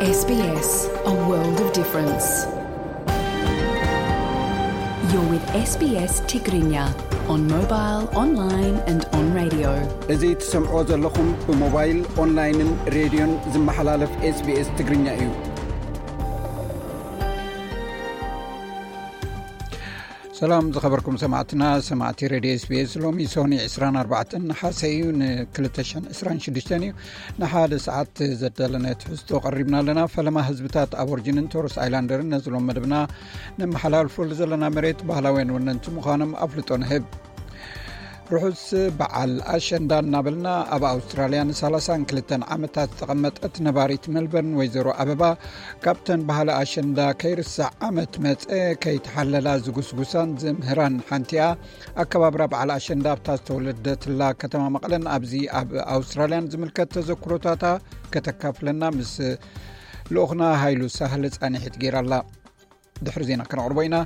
S B S, a world of difference. You're with S B S Tigrinya on mobile, online and on radio. እዚ ትሰምዕዎ ዘለኹም ብሞባይል፣ ኦንላይንን ሬድዮን ዝመሓላለፍ S B S ትግርኛ እዩ። ሰላም ዝኸበርኩም ሰማዕትና፣ ሰማዕቲ ሬድዮ S B S፣ ሎሚ ሶኒ ዕስራን ኣርባዕተን ነሓሰ እዩ፣ ን ክልተ ሽሕን ዕስራን ሽዱሽተን እዩ። ንሓደ ሰዓት ዘዳለናዮ ትሕዝቶ ቀሪብና ኣለና። ፈለማ ህዝብታት ኣቦርጅንን ቶረስ ኣይላንደርን ነዚ ሎም መደብና ነመሓላልፈሉ ዘለና መሬት ባህላውያን ወነንቲ ምዃኖም ኣፍልጦ ንህብ። ርሑስ በዓል ኣሸንዳ እናበልና፣ ኣብ ኣውስትራልያ ንሰላሳን ክልተን ዓመታት ዝተቐመጠት ነባሪት ሜልበርን ወይዘሮ ኣበባ፣ ካብተን ባህሊ ኣሸንዳ ከይርሳዕ ዓመት መጸ ከይተሓለላ ዝጉስጉሳን ዝምህራን ሓንቲኣ፣ ኣከባብራ በዓል ኣሸንዳ ኣብታ ዝተወለደትላ ከተማ መቐለን ኣብዚ ኣብ ኣውስትራልያን ዝምልከት ተዘክሮታታ ከተካፍለና ምስ ልኡኽና ሃይሉ ሳህለ ጻኒሒት ገይራላ። ድሕሪ ዜና ከነቕርቦ ኢና።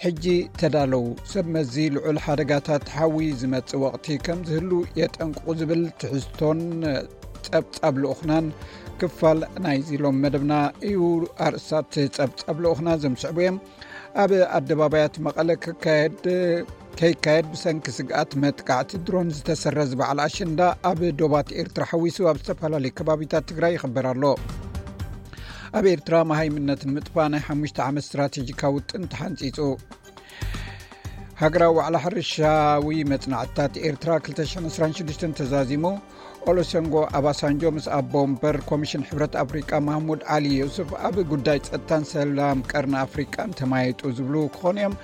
ሕጂ ተዳለዉ። ሰብ መዚ ልዑል ሓደጋታት ሓዊ ዝመጽእ ወቕቲ ከም ዝህሉ የጠንቅቑ ዝብል ትሕዝቶን ጸብጻብ ልኡኽናን ክፋል ናይዚ ሎም መደብና እዩ። ኣርእስታት ጸብጻብ ልኡኽና ዘምስዕቡ እዮም። ኣብ ኣደባባያት መቐለ ክካየድ ከይካየድ ብሰንኪ ስግኣት መጥቃዕቲ ድሮን ዝተሰረዘ በዓል ኣሸንዳ ኣብ ዶባት ኤርትራ ሓዊሱ ኣብ ዝተፈላለዩ ከባቢታት ትግራይ ይኽበር ኣሎ። ኣብ ኤርትራ መሃይምነት ንምጥፋእ ናይ ሓሙሽተ ዓመት ስትራቴጂካዊ ውጥን ተሓንጺጹ። ሃገራዊ ዋዕላ ሕርሻዊ መጽናዕትታት ኤርትራ ክልተ ሽሕን ዕስራን ሽዱሽተን ተዛዚሙ። ኦሉሰንጎ ኣባሳንጆ ምስ ኣቦ ወንበር ኮሚሽን ሕብረት ኣፍሪቃ ማህሙድ ዓሊ ዮሱፍ ኣብ ጉዳይ ጸጥታን ሰላም ቀርኒ ኣፍሪቃን ተማየጡ ዝብሉ ክኾኑ እዮም።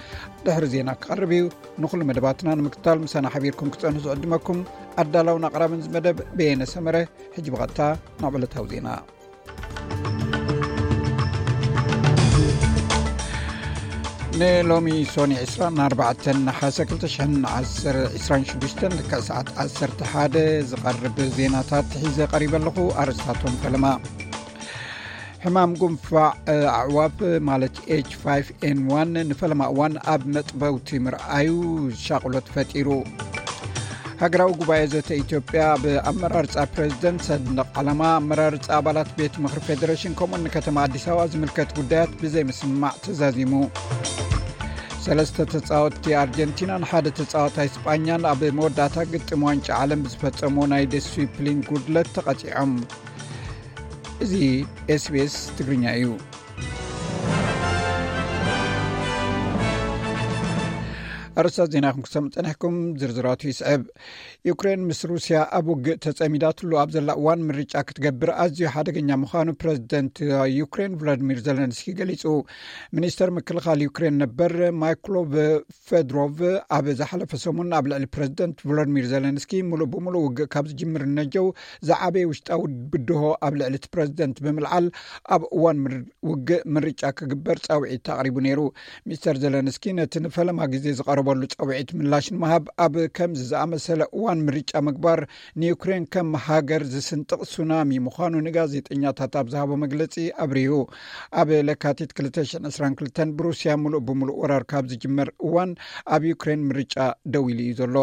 ድሕሪ ዜና ክቐርብ እዩ። ንኹሉ መደባትና ንምክታል ምሳና ሓቢርኩም ክጸንሑ ዝዕድመኩም ኣዳላውን ኣቕራብን እዚ መደብ በየነ ሰመረ። ሕጂ ብቐጥታ ናብ ዕለታዊ ዜና። ንሎሚ ሶኒ ዕስራን ኣርባዕተን ነሓሰ ክልተ ሽሕን ዕስራን ሽዱሽተን ልክዕ ሰዓት ዓሰርተ ሓደ ዝቐርብ ዜናታት ሒዘ ቀሪበ ኣለኹ። ኣርእስታቶም ፈለማ። ሕማም ጉንፋዕ ኣዕዋፍ ማለት ኤች ፋይቭ ኤን ዋን ንፈለማ እዋን ኣብ መጥበውቲ ምርኣዩ ሻቕሎት ፈጢሩ። ሃገራዊ ጉባኤ ዘተ ኢትዮጵያ ኣብ ኣመራርጻ ፕሬዝደንት፣ ሰንደቕ ዓላማ፣ ኣመራርጻ ኣባላት ቤት ምኽሪ ፌዴሬሽን ከምኡን ንከተማ ኣዲስ ኣበባ ዝምልከት ጉዳያት ብዘይ ምስምማዕ ተዛዚሙ። ሰለስተ ተጻወትቲ ኣርጀንቲናን ሓደ ተጻዋታይ ስጳኛን ኣብ መወዳእታ ግጥም ዋንጫ ዓለም ብዝፈጸሞ ናይ ዲስፕሊን ጉድለት ተቐጺዖም። እዚ ኤስቢኤስ ትግርኛ እዩ። ኣርእስታት ዜና ኢኹም ክሰምዑ ጸኒሕኩም፣ ዝርዝራቱ ይስዕብ። ዩክሬን ምስ ሩስያ ኣብ ውግእ ተጸሚዳትሉ ኣብ ዘላ እዋን ምርጫ ክትገብር ኣዝዩ ሓደገኛ ምዃኑ ፕረዚደንት ዩክሬን ቭላዲሚር ዘለንስኪ ገሊጹ። ሚኒስተር ምክልኻል ዩክሬን ነበር ማይክሎ ፌድሮቭ ኣብ ዝሓለፈ ሰሙን ኣብ ልዕሊ ፕረዚደንት ቮሎዲሚር ዘለንስኪ ምሉእ ብምሉእ ውግእ ካብ ዝጅምር ነጀው ዝዓበየ ውሽጣዊ ብድሆ ኣብ ልዕሊ እቲ ፕረዚደንት ብምልዓል፣ ኣብ እዋን ምር-፣ ውግእ ምርጫ ክግበር ጻውዒት ኣቕሪቡ ነይሩ። ሚስተር ዘለንስኪ ነቲ ንፈለማ ግዜ ዝቐረበሉ ጻውዒት ምላሽ ንምሃብ፣ ኣብ ከምዚ ዝኣመሰለ እዋን ምርጫ ምግባር ንዩክሬን ከም ሃገር ዝስንጥቕ ሱናሚ ምዃኑ ንጋዜጠኛታት ኣብ ዝሃቦ መግለጺ ኣብሪሁ። ኣብ ለካቲት ክልተ ሽሕን ዕስራን ክልተን ብሩስያ ምሉእ ብምሉእ ወራር ካብ ዝጅመር እዋን ኣብ ዩክሬን ምርጫ ደው ኢሉ እዩ ዘሎ።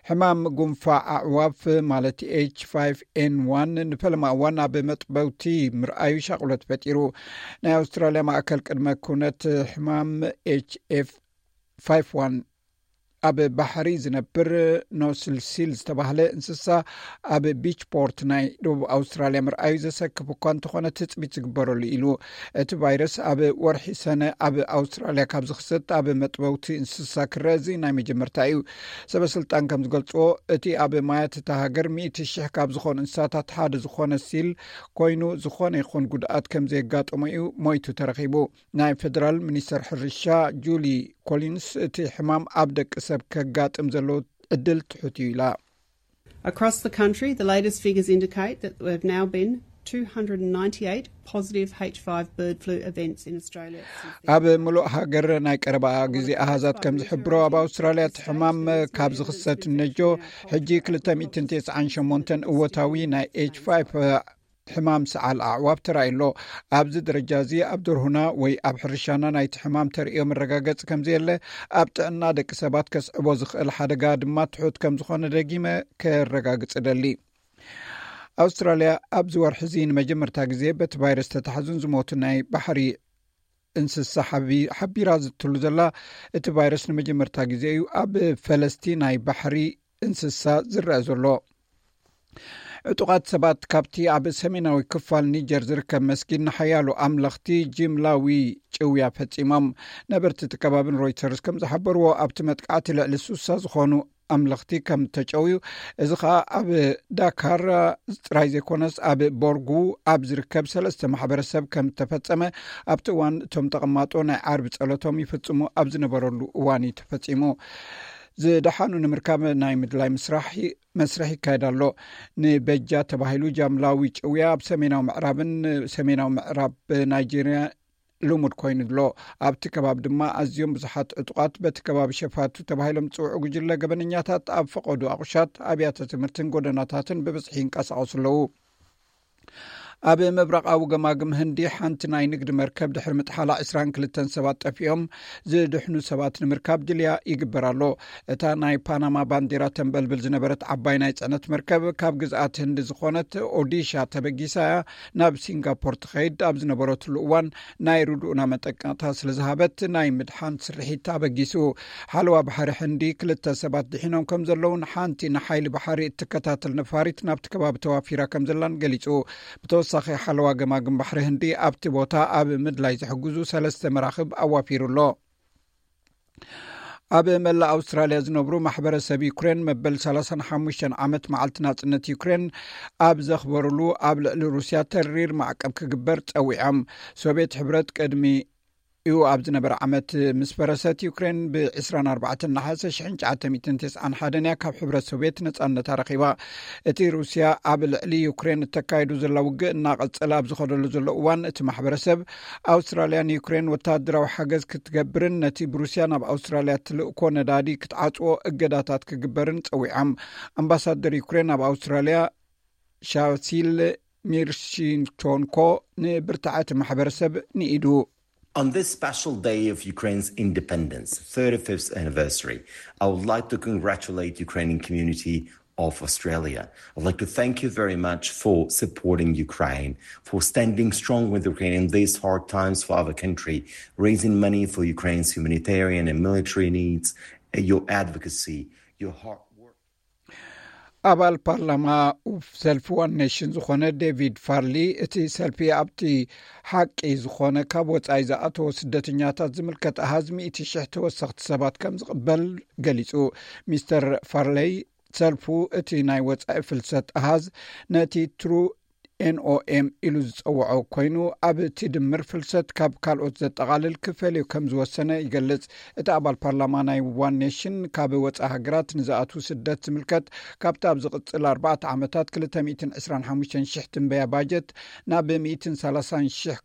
ሕማም ጉንፋዕ ኣዕዋፍ ማለት ኤች ፋይቭ ኤን ዋን ንፈለማ እዋን ኣብ መጥበውቲ ምርኣዩ ሻቕሎት ፈጢሩ። ናይ ኣውስትራልያ ማእከል ቅድመ ኩነት ሕማም ኤች ኤፍ ፋይቭ ዋን ኣብ ባሕሪ ዝነብር ኖስልሲል ዝተባህለ እንስሳ ኣብ ቢች ፖርት ናይ ደቡብ ኣውስትራልያ ምርኣዩ ዘሰክፍ እኳ እንተኾነ ትጽቢት ዝግበረሉ ኢሉ። እቲ ቫይረስ ኣብ ወርሒ ሰነ ኣብ ኣውስትራልያ ካብ ዝኽሰት ኣብ መጥበውቲ እንስሳ ክረአ እዚ ናይ መጀመርታ እዩ። ሰበ ስልጣን ከም ዝገልጽዎ፣ እቲ ኣብ ማያት እታ ሃገር ሚእቲ ሽሕ ካብ ዝኾኑ እንስሳታት ሓደ ዝኾነ ሲል ኮይኑ፣ ዝኾነ ይኹን ጉድኣት ከም ዘየጋጠሞ እዩ ሞይቱ ተረኺቡ። ናይ ፌደራል ሚኒስተር ሕርሻ ጁሊ ኮሊንስ፣ እቲ ሕማም ኣብ ደቂ ሰብ ከጋጥም ዘለዎ ዕድል ትሑት እዩ ኢላ። Across the country, the latest figures indicate that there have now been two hundred ninety-eight positive H five bird flu events in Australia since the ኣብ ምሉእ ሃገር ናይ ቀረባ ግዜ ኣሃዛት ከም ዝሕብሮ፣ ኣብ ኣውስትራልያ እቲ ሕማም ካብ ዝኽሰት ነጆ ሕጂ ክልተ ሚእትን ተስዓን ሸሞንተን እወታዊ ናይ ኤች ፋይቭ ሕማም ሰዓል ኣዕዋፍ ተራእዩ ኣሎ። ኣብዚ ደረጃ እዚ ኣብ ደርሁና ወይ ኣብ ሕርሻና ናይቲ ሕማም ተርእዮ መረጋገጺ ከም ዘየለ፣ ኣብ ጥዕና ደቂ ሰባት ከስዕቦ ዝኽእል ሓደጋ ድማ ትሑት ከም ዝኾነ ደጊመ ከረጋግጽ እደሊ። ኣውስትራልያ ኣብዚ ወርሒ እዚ ንመጀመርታ ግዜ በቲ ቫይረስ ተታሕዙን ዝሞቱ ናይ ባሕሪ እንስሳ ሓቢ-፣ ሓቢራ ዝትሉ ዘላ። እቲ ቫይረስ ንመጀመርታ ግዜ እዩ ኣብ ፈለስቲ ናይ ባሕሪ እንስሳ ዝረአ ዘሎ። ዕጡቓት ሰባት ካብቲ ኣብ ሰሜናዊ ክፋል ኒጀር ዝርከብ መስጊድ ንሓያሎ ኣምለኽቲ ጅምላዊ ጭውያ ፈጺሞም። ነበርቲ እቲ ከባቢ ንሮይተርስ ከም ዝሓበርዎ፣ ኣብቲ መጥቃዕቲ ልዕሊ ሱሳ ዝኾኑ ኣምለኽቲ ከም ተጨውዩ፣ እዚ ኸኣ ኣብ ዳካር ጥራይ ዘይኮነስ ኣብ ቦርጉ ኣብ ዝርከብ ሰለስተ ማሕበረሰብ ከም ተፈጸመ፣ ኣብቲ እዋን እቶም ተቐማጦ ናይ ዓርቢ ጸሎቶም ይፍጽሙ ኣብ ዝነበረሉ እዋን እዩ ተፈጺሙ። ዝደሓኑ ንምርካብ ናይ ምድላይ ምስራሕ መስርሕ ይካየድ ኣሎ። ንበጃ ተባሂሉ ጃምላዊ ጭውያ ኣብ ሰሜናዊ ምዕራብን ሰሜናዊ ምዕራብ ናይጄርያ ልሙድ ኮይኑ ኣሎ። ኣብቲ ከባቢ ድማ ኣዝዮም ብዙሓት ዕጡቓት በቲ ከባቢ ሸፋቱ ተባሂሎም ዝጽውዑ ጉጅለ ገበነኛታት ኣብ ፈቐዶ ኣቑሻት፣ ኣብያተ ትምህርትን ጎደናታትን ብብዝሒ ይንቀሳቐሱ ኣለዉ። ኣብ ምብራቓዊ ገማግም ህንዲ ሓንቲ ናይ ንግዲ መርከብ ድሕሪ ምጥሓላ ዕስራን ክልተን ሰባት ጠፊኦም። ዝድሕኑ ሰባት ንምርካብ ድልያ ይግበር ኣሎ። እታ ናይ ፓናማ ባንዲራ ተንበልብል ዝነበረት ዓባይ ናይ ጽዕነት መርከብ ካብ ግዝኣት ህንዲ ዝኾነት ኦዲሻ ተበጊሳ እያ ናብ ሲንጋፖር ትኸይድ ኣብ ዝነበረትሉ እዋን ናይ ርድኡና መጠንቀቕታ ስለ ዝሃበት ናይ ምድሓን ስርሒት ኣበጊሱ። ሓለዋ ባሕሪ ህንዲ ክልተ ሰባት ድሒኖም ከም ዘለውን ሓንቲ ንሓይሊ ባሕሪ እትከታተል ነፋሪት ናብቲ ከባቢ ተዋፊራ ከም ዘላን ገሊጹ። ብተወሳኺ ሓለዋ ገማግም ባሕሪ ህንዲ ኣብቲ ቦታ ኣብ ምድላይ ዝሕግዙ ሰለስተ መራኽብ ኣዋፊሩ ኣሎ። ኣብ መላእ ኣውስትራልያ ዝነብሩ ማሕበረሰብ ዩክሬን መበል ሰላሳን ሓሙሽተን ዓመት መዓልቲ ናጽነት ዩክሬን ኣብ ዘኽበሩሉ ኣብ ልዕሊ ሩስያ ተሪር ማዕቀብ ክግበር ጸዊዖም። ሶቪየት ሕብረት ቅድሚ እዩ ኣብ ዝነበረ ዓመት ምስ ፈረሰት ዩክሬን ብ ዕስራን ኣርባዕተን ነሓሰ ሽሕን ትሽዓተ ሚእትን ተስዓን ሓደን እያ ካብ ሕብረት ሶቪየት ነጻነታ ረኺባ። እቲ ሩስያ ኣብ ልዕሊ ዩክሬን እተካይዱ ዘላ ውግእ እናቐጸለ ኣብ ዝኸደሉ ዘሎ እዋን፣ እቲ ማሕበረሰብ ኣውስትራልያ ንዩክሬን ወታደራዊ ሓገዝ ክትገብርን ነቲ ብሩስያ ናብ ኣውስትራልያ ትልእኮ ነዳዲ ክትዓጽዎ እገዳታት ክግበርን ጸዊዖም። ኣምባሳደር ዩክሬን ኣብ ኣውስትራልያ ሻሲል ሚርሺንቶንኮ ንብርታዐ እቲ ማሕበረሰብ ንኢዱ። On this special day of Ukraine's independence, thirty-fifth anniversary, I would like to congratulate Ukrainian community of Australia. I'd like to thank you very much for supporting Ukraine, for standing strong with Ukraine in these hard times for our country, raising money for Ukraine's humanitarian and military needs. Your advocacy, your hard work. ኣባል ፓርላማ ሰልፊ ዋን ኔሽን ዝኾነ ዴቪድ ፋርሊ፣ እቲ ሰልፊ ኣብቲ ሓቂ ዝኾነ ካብ ወጻኢ ዝኣተወ ስደተኛታት ዝምልከት ኣሃዝ ሚእቲ ሽሕ ተወሰኽቲ ሰባት ከም ዝቕበል ገሊጹ። ሚስተር ፋርለይ፣ ሰልፉ እቲ ናይ ወጻኢ ፍልሰት ኣሃዝ ነቲ ትሩ ኤንኦኤም ኢሉ ዝጸውዖ ኮይኑ፣ ኣብ እቲ ድምር ፍልሰት ካብ ካልኦት ዘጠቓልል ክፈልዮ ከም ዝወሰነ ይገልጽ። እቲ ኣባል ፓርላማ ናይ ዋን ኔሽን ካብ ወጻኢ ሃገራት ንዝኣትዉ ስደት ዝምልከት፣ ካብቲ ኣብ ዝቕጽል ኣርባዕተ ዓመታት ክልተ ሚእትን ዕስራን ሓሙሽተን ሽሕ ትንበያ ባጀት ናብ ሚእትን ሰላሳን ሽሕ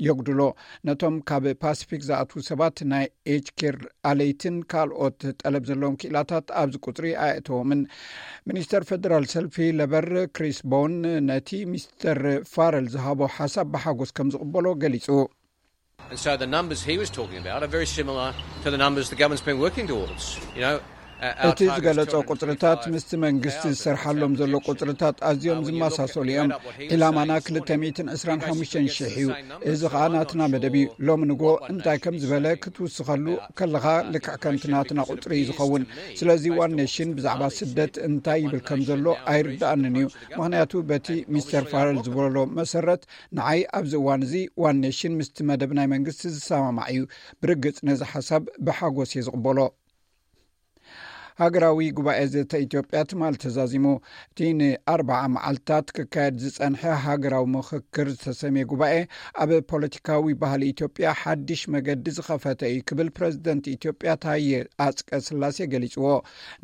የጉድሎ። ነቶም ካብ ፓሲፊክ ዝኣትዉ ሰባት ናይ ኤጅ ኬር ኣለይትን ካልኦት ጠለብ ዘለዎም ክኢላታት ኣብዚ ቁጽሪ ኣየእተዎምን። ሚኒስተር ፈደራል ሰልፊ ለበር ክሪስ ቦን ነቲ ሚስተር ፋረል ዝሃቦ ሓሳብ ብሓጎስ ከም ዝቕበሎ ገሊጹ። And so the numbers he was talking about are very similar to the numbers the government's been working towards. You know, our, our እቲ ዝገለጾ ቁጽርታት ምስቲ መንግስቲ ዝሰርሓሎም ዘሎ ቁጽርታት ኣዝዮም ዝመሳሰሉ እዮም። ዕላማና ክልተ ሚእትን ዕስራን ሓሙሽተን ሽሕ እዩ። እዚ ኸኣ ናትና መደብ እዩ። ሎሚ ንጎ እንታይ ከም ዝበለ ክትውስኸሉ ከለኻ ልክዕ ከምቲ ናትና ቁጽሪ እዩ ዝኸውን። ስለዚ ዋን ኔሽን ብዛዕባ ስደት እንታይ ይብል ከም ዘሎ ኣይርድኣንን እዩ። ምኽንያቱ በቲ ሚስተር ፋረል ዝበሎ መሰረት ንዓይ ኣብዚ እዋን እዚ ዋን ኔሽን ምስቲ መደብ ናይ መንግስቲ ዝሰማማዕ እዩ። ብርግጽ ነዚ ሓሳብ ብሓጎስ እየ ዝቕበሎ። ሃገራዊ ጉባኤ ዘተ ኢትዮጵያ ትማል ተዛዚሙ። እቲ ንኣርባዓ መዓልታት ክካየድ ዝጸንሐ ሃገራዊ ምኽክር ዝተሰምየ ጉባኤ ኣብ ፖለቲካዊ ባህሊ ኢትዮጵያ ሓድሽ መገዲ ዝኸፈተ እዩ ክብል ፕረዚደንት ኢትዮጵያ ታየ ኣጽቀ ስላሴ ገሊጽዎ።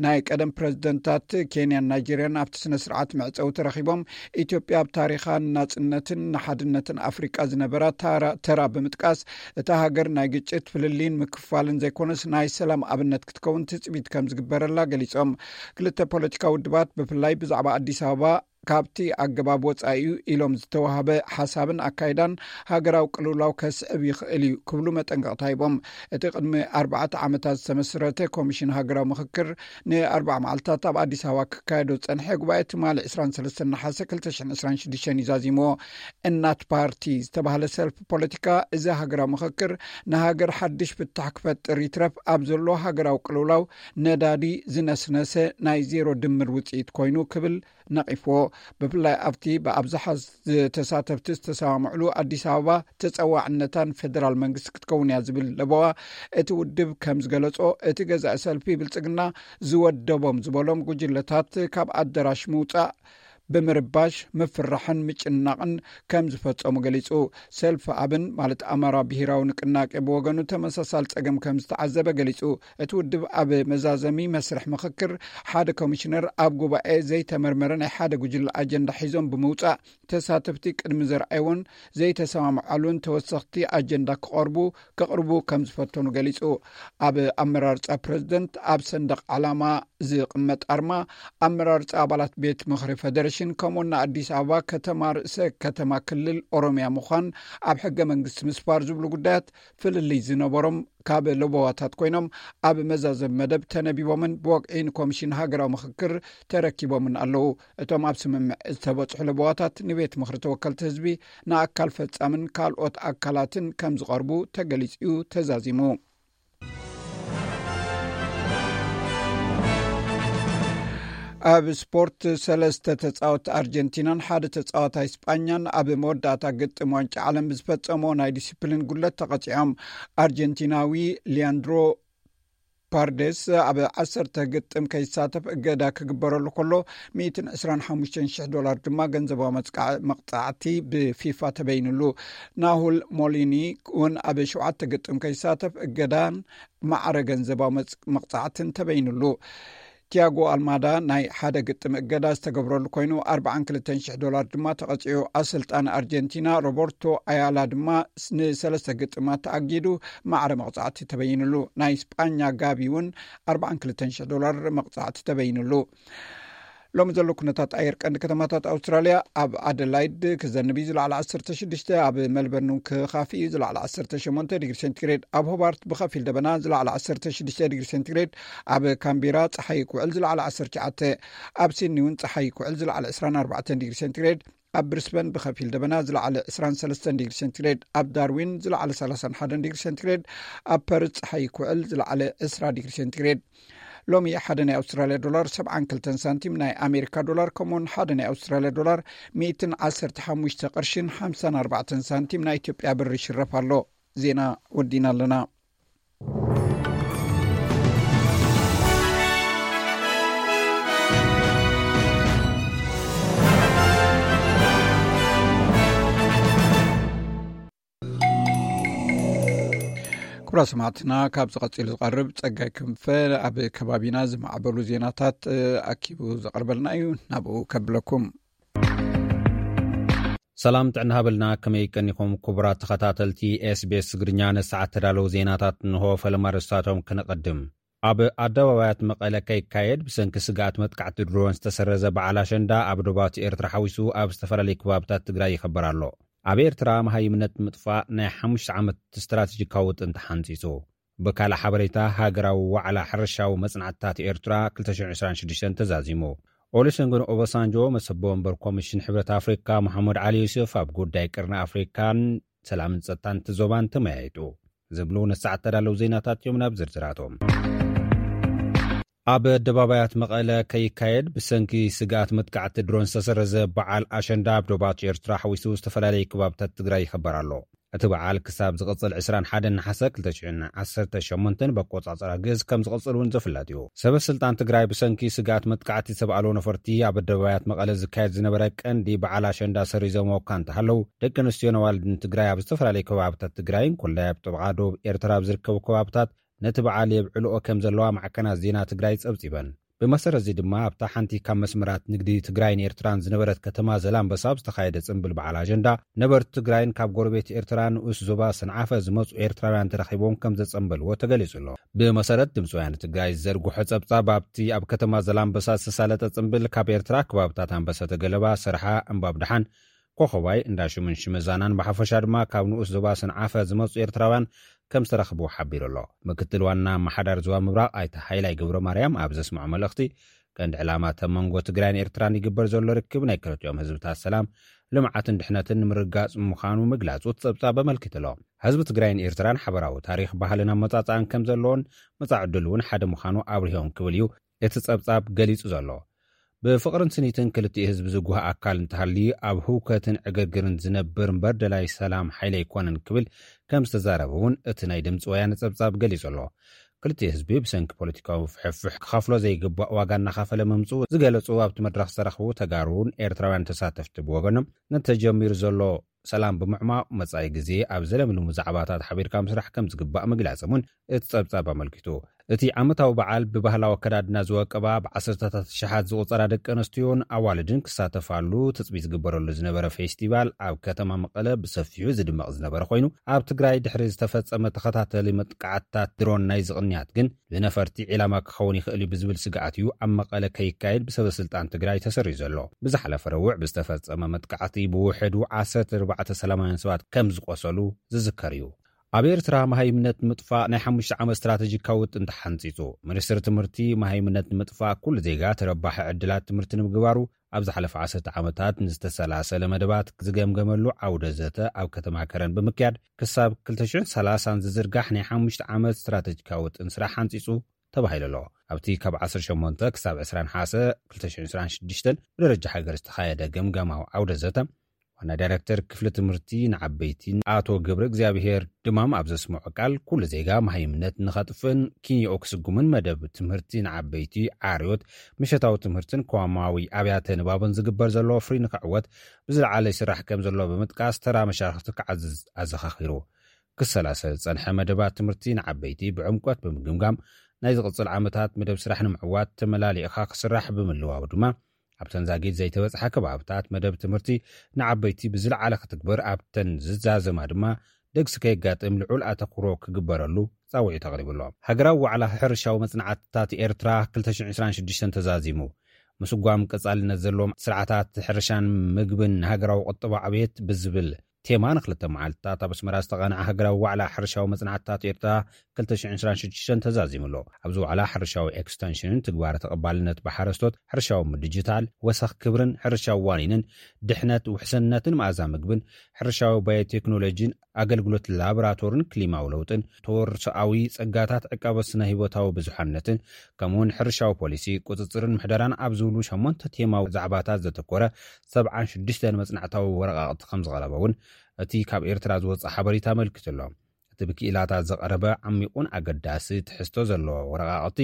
ናይ ቀደም ፕረዚደንታት ኬንያን ናይጄርያን ኣብቲ ስነ ስርዓት መዕጸዊ ተረኺቦም ኢትዮጵያ ኣብ ታሪኻ ንናጽነትን ንሓድነትን ኣፍሪቃ ዝነበራ ታራ- ተራ ብምጥቃስ እታ ሃገር ናይ ግጭት ፍልልይን ምክፋልን ዘይኮነስ ናይ ሰላም ኣብነት ክትከውን ትጽቢት ከም ዝግበረላ ገሊጾም። ክልተ ፖለቲካዊ ውድባት ብፍላይ ብዛዕባ ኣዲስ ኣበባ ካብቲ ኣገባብ ወጻኢ እዩ ኢሎም ዝተዋህበ ሓሳብን ኣካይዳን ሃገራዊ ቅልውላው ከስዕብ ይኽእል እዩ ክብሉ መጠንቀቕታ ሂቦም። እቲ ቅድሚ ኣርባዕተ ዓመታት ዝተመስረተ ኮሚሽን ሃገራዊ ምኽክር ንኣርባዓ መዓልታት ኣብ ኣዲስ ኣበባ ክካየዶ ዝጸንሐ ጉባኤ ትማሊ ዕስራን ሰለስተን ነሓሰ ክልተ ሽሕን ዕስራን ሽዱሽተን እዩ ዛዚምዎ። እናት ፓርቲ ዝተባህለ ሰልፊ ፖለቲካ፣ እዚ ሃገራዊ ምኽክር ንሃገር ሓድሽ ፍታሕ ክፈጥር ይትረፍ ኣብ ዘሎ ሃገራዊ ቅልውላው ነዳዲ ዝነስነሰ ናይ ዜሮ ድምር ውጽኢት ኮይኑ ክብል ነቒፍዎ። ብፍላይ ኣብቲ ብኣብዝሓ ዝተሳተፍቲ ዝተሰማምዕሉ ኣዲስ ኣበባ ተጸዋዕነታን ፌደራል መንግስቲ ክትከውን እያ ዝብል ለበዋ እቲ ውድብ ከም ዝገለጾ፣ እቲ ገዛኢ ሰልፊ ብልጽግና ዝወደቦም ዝበሎም ጉጅለታት ካብ ኣደራሽ ምውጻእ ብምርባሽ፣ ምፍርራሕን ምጭናቕን ከም ዝፈጸሙ ገሊጹ። ሰልፊ ኣብን ማለት ኣማራ ብሄራዊ ንቅናቄ ብወገኑ ተመሳሳሊ ጸገም ከም ዝተዓዘበ ገሊጹ። እቲ ውድብ ኣብ መዛዘሚ መስርሕ ምኽክር ሓደ ኮሚሽነር ኣብ ጉባኤ ዘይተመርመረ ናይ ሓደ ጉጅለ ኣጀንዳ ሒዞም ብምውጻእ፣ ተሳተፍቲ ቅድሚ ዘርኣይዎን ዘይተሰማምዓሉን ተወሰኽቲ ኣጀንዳ ክቐርቡ፣ ከቕርቡ ከም ዝፈተኑ ገሊጹ። ኣብ ኣመራርጻ ፕረዚደንት፣ ኣብ ሰንደቕ ዓላማ ዝቕመጥ ኣርማ፣ ኣመራርጻ ኣባላት ቤት ምኽሪ ፌደሬሽን፣ ከምኡውን ንኣዲስ ኣበባ ከተማ ርእሰ ከተማ ክልል ኦሮሚያ ምዃን ኣብ ሕገ መንግስቲ ምስፋር ዝብሉ ጉዳያት ፍልልይ ዝነበሮም ካብ ለበዋታት ኮይኖም፣ ኣብ መዛዘም መደብ ተነቢቦምን ብወግዒ ንኮሚሽን ሃገራዊ ምኽክር ተረኪቦምን ኣለዉ። እቶም ኣብ ስምምዕ ዝተበጽሑ ለበዋታት ንቤት ምኽሪ ተወከልቲ ህዝቢ፣ ንኣካል ፈጻምን ካልኦት ኣካላትን ከም ዝቐርቡ ተገሊጹ እዩ ተዛዚሙ። ኣብ ስፖርት፣ ሰለስተ ተጻወትቲ ኣርጀንቲናን ሓደ ተጻዋታይ ስጳኛን ኣብ መወዳእታ ግጥም ዋንጫ ዓለም ብዝፈጸሞ ናይ ዲሲፕሊን ጉለት ተቐጺዖም። ኣርጀንቲናዊ ሊያንድሮ ፓርዴስ ኣብ ዓሰርተ ግጥም ከይሳተፍ እገዳ ክግበረሉ ከሎ፣ ሚእትን ዕስራን ሓሙሽተን ሽሕ ዶላር ድማ ገንዘባዊ መጽቃዕ-፣ መቕጻዕቲ ብፊፋ ተበይንሉ። ናሁል ሞሊኒ እውን ኣብ ሸውዓተ ግጥም ከይሳተፍ እገዳን ማዕረ ገንዘባዊ መጽ-፣ መቕጻዕትን ተበይንሉ። ቲያጎ ኣልማዳ ናይ ሓደ ግጥም እገዳ ዝተገብረሉ ኮይኑ፣ ኣርባዓን ክልተን ሽሕ ዶላር ድማ ተቐጺዑ። ኣሰልጣኒ ኣርጀንቲና ሮበርቶ ኣያላ ድማ ንሰለስተ ግጥማት ተኣጊዱ ማዕረ መቕጻዕቲ ተበይንሉ። ናይ ስጳኛ ጋቢ እውን ኣርባዓን ክልተን ሽሕ ዶላር መቕጻዕቲ ተበይንሉ። ሎሚ ዘሎ ኩነታት ኣየር ቀንዲ ከተማታት ኣውስትራልያ፣ ኣብ ኣደላይድ ክዘንብ እዩ፣ ዝለዓለ ዓሰርተ ሽዱሽተ፣ ኣብ ሜልበርን ክኻፊ እዩ፣ ዝለዓለ ዓሰርተ ሸሞንተ ዲግሪ ሴንቲግሬድ፣ ኣብ ሆባርት ብኸፊል ደበና፣ ዝለዓለ ዓሰርተ ሽዱሽተ ዲግሪ ሴንቲግሬድ፣ ኣብ ካምቤራ ጸሓይ ክውዕል፣ ዝለዓለ ዓሰርተ ትሽዓተ፣ ኣብ ሲድኒ እውን ጸሓይ ክውዕል፣ ዝለዓለ ዕስራን ኣርባዕተን ዲግሪ ሴንቲግሬድ፣ ኣብ ብሪስበን ብኸፊል ደበና፣ ዝለዓለ ዕስራን ሰለስተን ዲግሪ ሴንቲግሬድ፣ ኣብ ዳርዊን ዝለዓለ ሰላሳን ሓደን ዲግሪ ሴንቲግሬድ፣ ኣብ ፐርዝ ጸሓይ ክውዕል፣ ዝለዓለ ዕስራ ዲግሪ ሴንቲግሬድ። ሎሚ ሓደ ናይ ኣውስትራልያ ዶላር ሰብዓን ክልተን ሳንቲም፣ ናይ ኣሜሪካ ዶላር ከምኡውን ሓደ ናይ ኣውስትራልያ ዶላር ሚእትን ዓሰርተ ሓሙሽተ ቅርሽን ሓምሳን ኣርባዕተን ሳንቲም ናይ ኢትዮጵያ ብር ይሽረፍ ኣሎ። ዜና ወዲና ኣለና። ክቡራት ሰማዕትና፣ ካብ ዝቐጺሉ ዝቐርብ ጸጋይ ክንፈ ኣብ ከባቢና ዝማዕበሉ ዜናታት፣ እ፣ ኣኪቡ ዘቕርበልና እዩ። ናብኡ ከብለኩም። ሰላም ጥዕና ሃበልና፣ ከመይ ቀኒኹም ክቡራት ተኸታተልቲ ኤስቢኤስ ትግርኛ? ንሰዓት ተዳለዉ ዜናታት እንሆ፣ ፈለማ ርእስታቶም ክነቐድም። ኣብ ኣደባባያት መቐለ ከይካየድ ብሰንኪ ስግኣት መጥቃዕቲ ድሮን ዝተሰረዘ በዓል ኣሸንዳ ኣብ ዶባት ኤርትራ ሓዊሱ ኣብ ዝተፈላለዩ ከባብታት ትግራይ ይኸበር ኣሎ። ኣብ ኤርትራ መሃይምነት ምጥፋእ ናይ ሓሙሽተ ዓመት ስትራቴጂካዊ ውጥን ተሓንጺጹ። ብካልእ ሓበሬታ፣ ሃገራዊ ዋዕላ ሕርሻዊ መጽናዕትታት ኤርትራ ክልተ ሽሕን ዕስራን ሽዱሽተን ተዛዚሙ። ኦሉሰንጎን ኦባሳንጆ፣ መሰቦ ወንበር ኮሚሽን ሕብረት ኣፍሪካ መሓሙድ ዓሊ ዩሱፍ፣ ኣብ ጉዳይ ቀርኒ ኣፍሪካን ሰላምን ጸጥታን እቲ ዞባን ተመያይጡ። ዝብሉ ንሰዓት ተዳለዉ ዜናታት እዮም። ናብ ዝርዝራቶም። ኣብ ኣደባባያት መቐለ ከይካየድ ብሰንኪ ስግኣት መጥቃዕቲ ድሮን ዝተሰረዘ በዓል ኣሸንዳ ኣብ ዶባት ኤርትራ ሓዊሱ ዝተፈላለዩ ከባብታት ትግራይ ይኸበር ኣሎ። እቲ በዓል ክሳብ ዝቕጽል ዕስራን ሓደን ነሓሰ ክልተ ሽሕን ዓሰርተ ሸሞንተን ብኣቆጻጽራ ግእዝ ከም ዝቕጽል እውን ዝፍለጥ እዩ። ሰበ ስልጣን ትግራይ ብሰንኪ ስግኣት መጥቃዕቲ ዝተባእሉ ነፈርቲ ኣብ ኣደባባያት መቐለ ዝካየድ ዝነበረ ቀንዲ በዓል ኣሸንዳ ሰሪዞምዎ እኳ እንተሃለዉ፣ ደቂ ኣንስትዮን ኣዋልድን ትግራይ ኣብ ዝተፈላለዩ ከባብታት ትግራይን ኮላይ ኣብ ጥቓ ዶብ ኤርትራ ኣብ ዝርከቡ ከባብታት ነቲ በዓል የብዕልኦ ከም ዘለዋ ማዕከናት ዜና ትግራይ ጸብጺበን። ብመሰረት እዚ ድማ ኣብታ ሓንቲ ካብ መስመራት ንግዲ ትግራይን ኤርትራን ዝነበረት ከተማ ዘላንበሳ ዝተኻየደ ጽንብል በዓል ኣጀንዳ ነበርቲ ትግራይን ካብ ጎረቤት ኤርትራ ንኡስ ዞባ ሰንዓፈ ዝመጹ ኤርትራውያን ተረኺቦም ከም ዘጸንበልዎ ተገሊጹ ኣሎ። ብመሰረት ድምፂ ወያነ ትግራይ ዝዘርግሖ ጸብጻብ ኣብቲ ኣብ ከተማ ዘላንበሳ ዝተሳለጠ ጽንብል ካብ ኤርትራ ከባብታት ኣንበሰተ ገለባ፣ ሰርሓ፣ እምባብ ደሓን፣ ኮኸባይ፣ እንዳ ሽምን ሽመዛናን ብሓፈሻ ድማ ካብ ንኡስ ዞባ ሰንዓፈ ዝመጹ ኤርትራውያን ከም ዝተረኽቡ ሓቢሩ ኣሎ። ምክትል ዋና ኣመሓዳሪ ዞባ ምብራቕ ኣይተ ሃይላይ ገብረ ማርያም ኣብ ዘስምዖ መልእኽቲ ቀንዲ ዕላማ ተመንጎ ትግራይን ኤርትራን ይግበር ዘሎ ርክብ ናይ ክልቲኦም ህዝብታት ሰላም፣ ልምዓትን ድሕነትን ንምርጋጽ ምዃኑ ምግላጹ እቲ ጸብጻብ ኣመልኪቱ ኣሎ። ህዝቢ ትግራይን ኤርትራን ሓበራዊ ታሪኽ፣ ባህልን ኣመጻጽኣን ከም ዘለዎን መጻኢ ዕድል እውን ሓደ ምዃኑ ኣብሪሆም ክብል እዩ እቲ ጸብጻብ ገሊጹ ዘሎ። ብፍቕርን ስኒትን ክልቲኡ ህዝቢ ዝጉህ ኣካል እንተሃልዩ ኣብ ህውከትን ዕግርግርን ዝነብር እምበር ደላይ ሰላም ሓይሊ ኣይኮነን ክብል ከም ዝተዛረበ እውን እቲ ናይ ድምፂ ወያነ ጸብጻብ ገሊጹ ኣሎ። ክልቲኡ ህዝቢ ብሰንኪ ፖለቲካዊ ፍሕፍሕ ክኸፍሎ ዘይግባእ ዋጋ እናኸፈለ ምምፅኡ ዝገለጹ ኣብቲ መድረኽ ዝተረኽቡ ተጋሩን ኤርትራውያን ተሳተፍቲ ብወገኖም ነቲ ተጀሚሩ ዘሎ ሰላም ብምዕማቕ መጻኢ ግዜ ኣብ ዘለምልሙ ዛዕባታት ሓቢርካ ምስራሕ ከም ዝግባእ ምግላጾም እውን እቲ ጸብጻብ ኣመልኪቱ። እቲ ዓመታዊ በዓል ብባህላዊ ኣከዳድና ዝወቀባ ብዓሰርተታት ሽሓት ዝቑጸራ ደቂ ኣንስትዮን ኣዋልድን ክሳተፋሉ ትጽቢት ዝግበረሉ ዝነበረ ፌስቲቫል ኣብ ከተማ መቐለ ብሰፊሑ ዝድመቕ ዝነበረ ኮይኑ፣ ኣብ ትግራይ ድሕሪ ዝተፈጸመ ተኸታተሊ መጥቃዕትታት ድሮን ናይ ዝቕንያት ግን ብነፈርቲ ዒላማ ክኸውን ይኽእል እዩ ብዝብል ስግኣት እዩ ኣብ መቐለ ከይካየድ ብሰበ ስልጣን ትግራይ ተሰሪዩ ዘሎ። ብዝሓለፈ ረቡዕ ብዝተፈጸመ መጥቃዕቲ ብውሕዱ ዓሰርተ ኣርባዕተ ሰላማውያን ሰባት ከም ዝቆሰሉ ዝዝከር እዩ። ኣብ ኤርትራ መሃይምነት ንምጥፋእ ናይ ሓሙሽተ ዓመት ስትራተጂካዊ ውጥን ተሓንጺጹ። ሚኒስትሪ ትምህርቲ መሃይምነት ንምጥፋእ ኩሉ ዜጋ ተረባሒ ዕድላት ትምህርቲ ንምግባሩ ኣብ ዝሓለፈ ዓሰርተ ዓመታት ንዝተሰላሰለ መደባት ዝገምገመሉ ዓውደ ዘተ ኣብ ከተማ ከረን ብምክያድ ክሳብ ክልተ ሽሕን ሰላሳን ዝዝርጋሕ ናይ ሓሙሽተ ዓመት ስትራተጂካዊ ውጥን ስራሕ ሓንጺጹ ተባሂሉ ኣሎ። ኣብቲ ካብ ዓሰርተ ሸሞንተ ክሳብ ዕስራ ነሓሰ ክልተ ሽሕን ዕስራን ሽዱሽተን ብደረጃ ሃገር ዝተኻየደ ገምጋማዊ ዓውደ ዘተ ዋና ዳይሬክተር ክፍሊ ትምህርቲ ንዓበይቲ ኣቶ ገብረ እግዚኣብሔር ድማም ኣብ ዘስምዖ ቃል፣ ኩሉ ዜጋ መሃይምነት ንኸጥፍእን ኪንዮኡ ክስጉምን መደብ ትምህርቲ ንዓበይቲ ዓርዮት ምሸታዊ ትምህርትን ኮማዊ ኣብያተ ንባብን ዝግበር ዘሎ ወፍሪ ንክዕወት ብዝለዓለ ይስራሕ ከም ዘሎ ብምጥቃስ ተራ መሻርክቲ ክዓዝዝ ኣዘኻኺሩ። ክሰላሰል ዝጸንሐ መደባት ትምህርቲ ንዓበይቲ ብዕምቆት ብምግምጋም ናይ ዝቕጽል ዓመታት መደብ ስራሕ ንምዕዋት ተመላሊእኻ ክስራሕ ብምልዋው ድማ ኣብተን ዛጊድ ዘይተበጽሓ ከባብታት መደብ ትምህርቲ ንዓበይቲ ብዝለዓለ ክትግበር ኣብተን ዝዛዘማ ድማ ደግሲ ከየጋጥም ልዑል ኣተኩሮ ክግበረሉ ጻውዒት ኣቕሪቡ ኣሎ። ሃገራዊ ዋዕላ ሕርሻዊ መጽናዕትታት ኤርትራ ክልተ ሽሕን ዕስራን ሽዱሽተን ተዛዚሙ። ምስጓም ቀጻልነት ዘለዎም ስርዓታት ሕርሻን ምግብን ንሃገራዊ ቁጠባ ዕብየት ብዝብል ቴማ ንክልተ መዓልትታት ኣብ ኣስመራ ዝተቓንዐ ሃገራዊ ዋዕላ ሕርሻዊ መጽናዕትታት ኤርትራ ክልተ ሽሕን ዕስራን ሽዱሽተን ተዛዚሙ ኣሎ። ኣብዚ ዋዕላ ሕርሻዊ ኤክስተንሽንን ትግባረ ተቐባልነት ብሓረስቶት፣ ሕርሻዊ ምድጅታል፣ ወሰኽ ክብርን ሕርሻዊ ዋኒንን፣ ድሕነት ውሕስነትን መኣዛ ምግብን፣ ሕርሻዊ ባዮቴክኖሎጂን ኣገልግሎት ላቦራቶርን ክሊማዊ ለውጥን፣ ተወርሶኣዊ ጸጋታት ዕቃበ ስነ ህይወታዊ ብዙሓነትን፣ ከምኡውን ሕርሻዊ ፖሊሲ፣ ቁጽጽርን ምሕደራን ኣብ ዝብሉ ሸሞንተ ቴማዊ ዛዕባታት ዘተኮረ ሰብዓን ሽዱሽተን መጽናዕታዊ ወረቓቕቲ ከም ዝቐረበ እውን እቲ ካብ ኤርትራ ዝወጽእ ሓበሬታ ኣመልኪቱ ኣሎ። እቲ ብክኢላታት ዝቐረበ ዓሚቑን ኣገዳሲ ትሕዝቶ ዘለዎ ወረቓቕቲ፣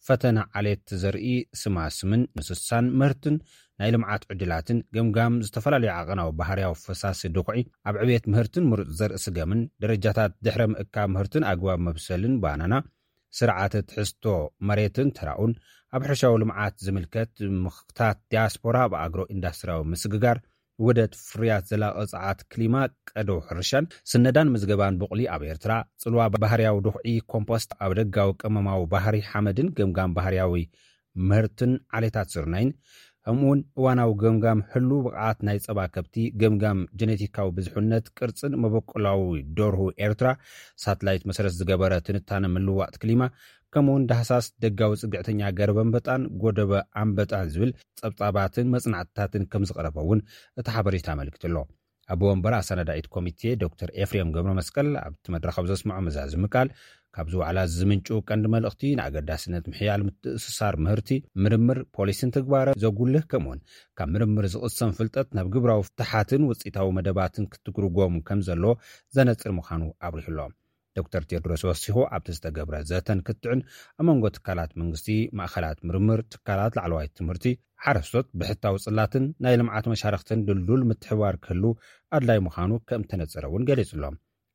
ፈተነ ዓሌት ዘርኢ ስማስምን እንስሳን ምህርትን ናይ ልምዓት ዕድላትን፣ ገምጋም ዝተፈላለዩ ዓቐናዊ ባህርያዊ ፈሳሲ ድኹዒ ኣብ ዕብየት ምህርትን ምሩፅ ዘርኢ ስገምን፣ ደረጃታት ድሕረ ምእካብ ምህርትን ኣግባብ መብሰልን ባናና፣ ስርዓተ ትሕዝቶ መሬትን ተራኡን፣ ኣብ ሕርሻዊ ልምዓት ዝምልከት ምኽታት ዲያስፖራ ብኣግሮ ኢንዳስትሪያዊ ምስግጋር፣ ውህደት ፍርያት ዘላቒ ጸዓት ክሊማ፣ ቀደው ሕርሻን ስነዳን ምዝገባን ቡቕሊ ኣብ ኤርትራ፣ ጽልዋ ባህርያዊ ድኹዒ ኮምፖስት ኣብ ደጋዊ ቀመማዊ ባህሪ ሓመድን ገምጋም ባህርያዊ ምህርትን ዓሌታት ስርናይን፣ ከምኡውን እዋናዊ ገምጋም ህሉ ብቕዓት ናይ ጸባ ከብቲ፣ ገምጋም ጀኔቲካዊ ብዙሕነት ቅርጽን መበቆላዊ ደርሁ ኤርትራ፣ ሳትላይት መሰረት ዝገበረ ትንታነ ምልዋጥ ክሊማ፣ ከምኡውን ዳህሳስ ደጋዊ ጽግዕተኛ ገረብ ኣንበጣን ጎደበ ኣንበጣን ዝብል ጸብጻባትን መጽናዕትታትን ከም ዝቐረበ እውን እቲ ሓበሬታ ኣመልኪቱ ኣሎ። ኣቦ ወንበር ኣሰናዳኢት ኮሚቴ ዶክተር ኤፍሬም ገብረ መስቀል ኣብቲ መድረኽ ኣብ ዘስምዖ መዛዝሚ ቃል፣ ካብዚ ዋዕላ ዝምንጩ ቀንዲ መልእኽቲ ንኣገዳስነት ምሕያል ምትእስሳር ምህርቲ፣ ምርምር፣ ፖሊሲን ትግባረ ዘጉልህ፣ ከምኡውን ካብ ምርምር ዝቕሰም ፍልጠት ናብ ግብራዊ ፍትሓትን ውጽኢታዊ መደባትን ክትጉርጎም ከም ዘለዎ ዘነጽር ምዃኑ ኣብሪሁ ኣሎ። ዶክተር ቴድሮስ ወሲኹ፣ ኣብቲ ዝተገብረ ዘተን ክትዕን ኣብ መንጎ ትካላት መንግስቲ፣ ማእኸላት ምርምር፣ ትካላት ላዕለዋይ ትምህርቲ፣ ሓረስቶት፣ ብሕታዊ ጽላትን ናይ ልምዓት መሻርኽትን ድልዱል ምትሕብባር ክህሉ ኣድላይ ምዃኑ ከም ተነጸረ እውን ገሊጹ ኣሎ።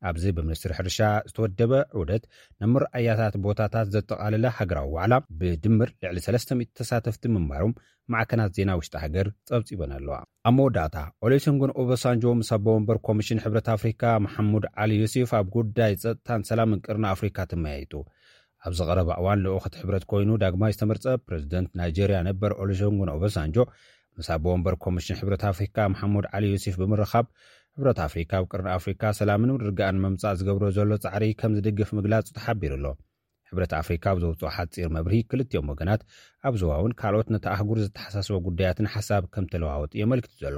ኣብዚ ብሚኒስትሪ ሕርሻ ዝተወደበ ዑደት፣ ነምርኣያታት ቦታታት ዘጠቓለለ ሃገራዊ ዋዕላ፣ ብድምር ልዕሊ ሰለስተ ሚእቲ ተሳተፍቲ ምንባሮም ማዕከናት ዜና ውሽጢ ሃገር ጸብጺበን ኣለዋ። ኣብ መወዳእታ፣ ኦሉሴጉን ኦባሳንጆ ምስ ኣቦ ወንበር ኮሚሽን ሕብረት ኣፍሪካ መሓሙድ ዓሊ ዩሲፍ ኣብ ጉዳይ ጸጥታን ሰላምን ቅርኒ ኣፍሪካ ተመያይጡ። ኣብዚ ቀረባ እዋን፣ ልኡኽ እቲ ሕብረት ኮይኑ ዳግማይ ዝተመርጸ ፕረዚደንት ናይጄርያ ነበር ኦሉሴጉን ኦባሳንጆ፣ ምስ ኣቦ ወንበር ኮሚሽን ሕብረት ኣፍሪካ መሓሙድ ዓሊ ዩሲፍ ብምርኻብ፣ ሕብረት ኣፍሪካ ኣብ ቅርኒ ኣፍሪካ ሰላምን ምርግጋእን ንምምጻእ ዝገብሮ ዘሎ ጻዕሪ ከም ዝድግፍ ምግላጹ ተሓቢሩ ኣሎ። ሕብረት ኣፍሪካ ኣብ ዘውፅኦ ሓፂር መብርሂ፣ ክልቲኦም ወገናት ኣብ ዞባውን ካልኦት ነቲ ኣህጉር ዘተሓሳስቦ ጉዳያትን ሓሳብ ከም ተለዋወጡ የመልክቱ ዘሎ።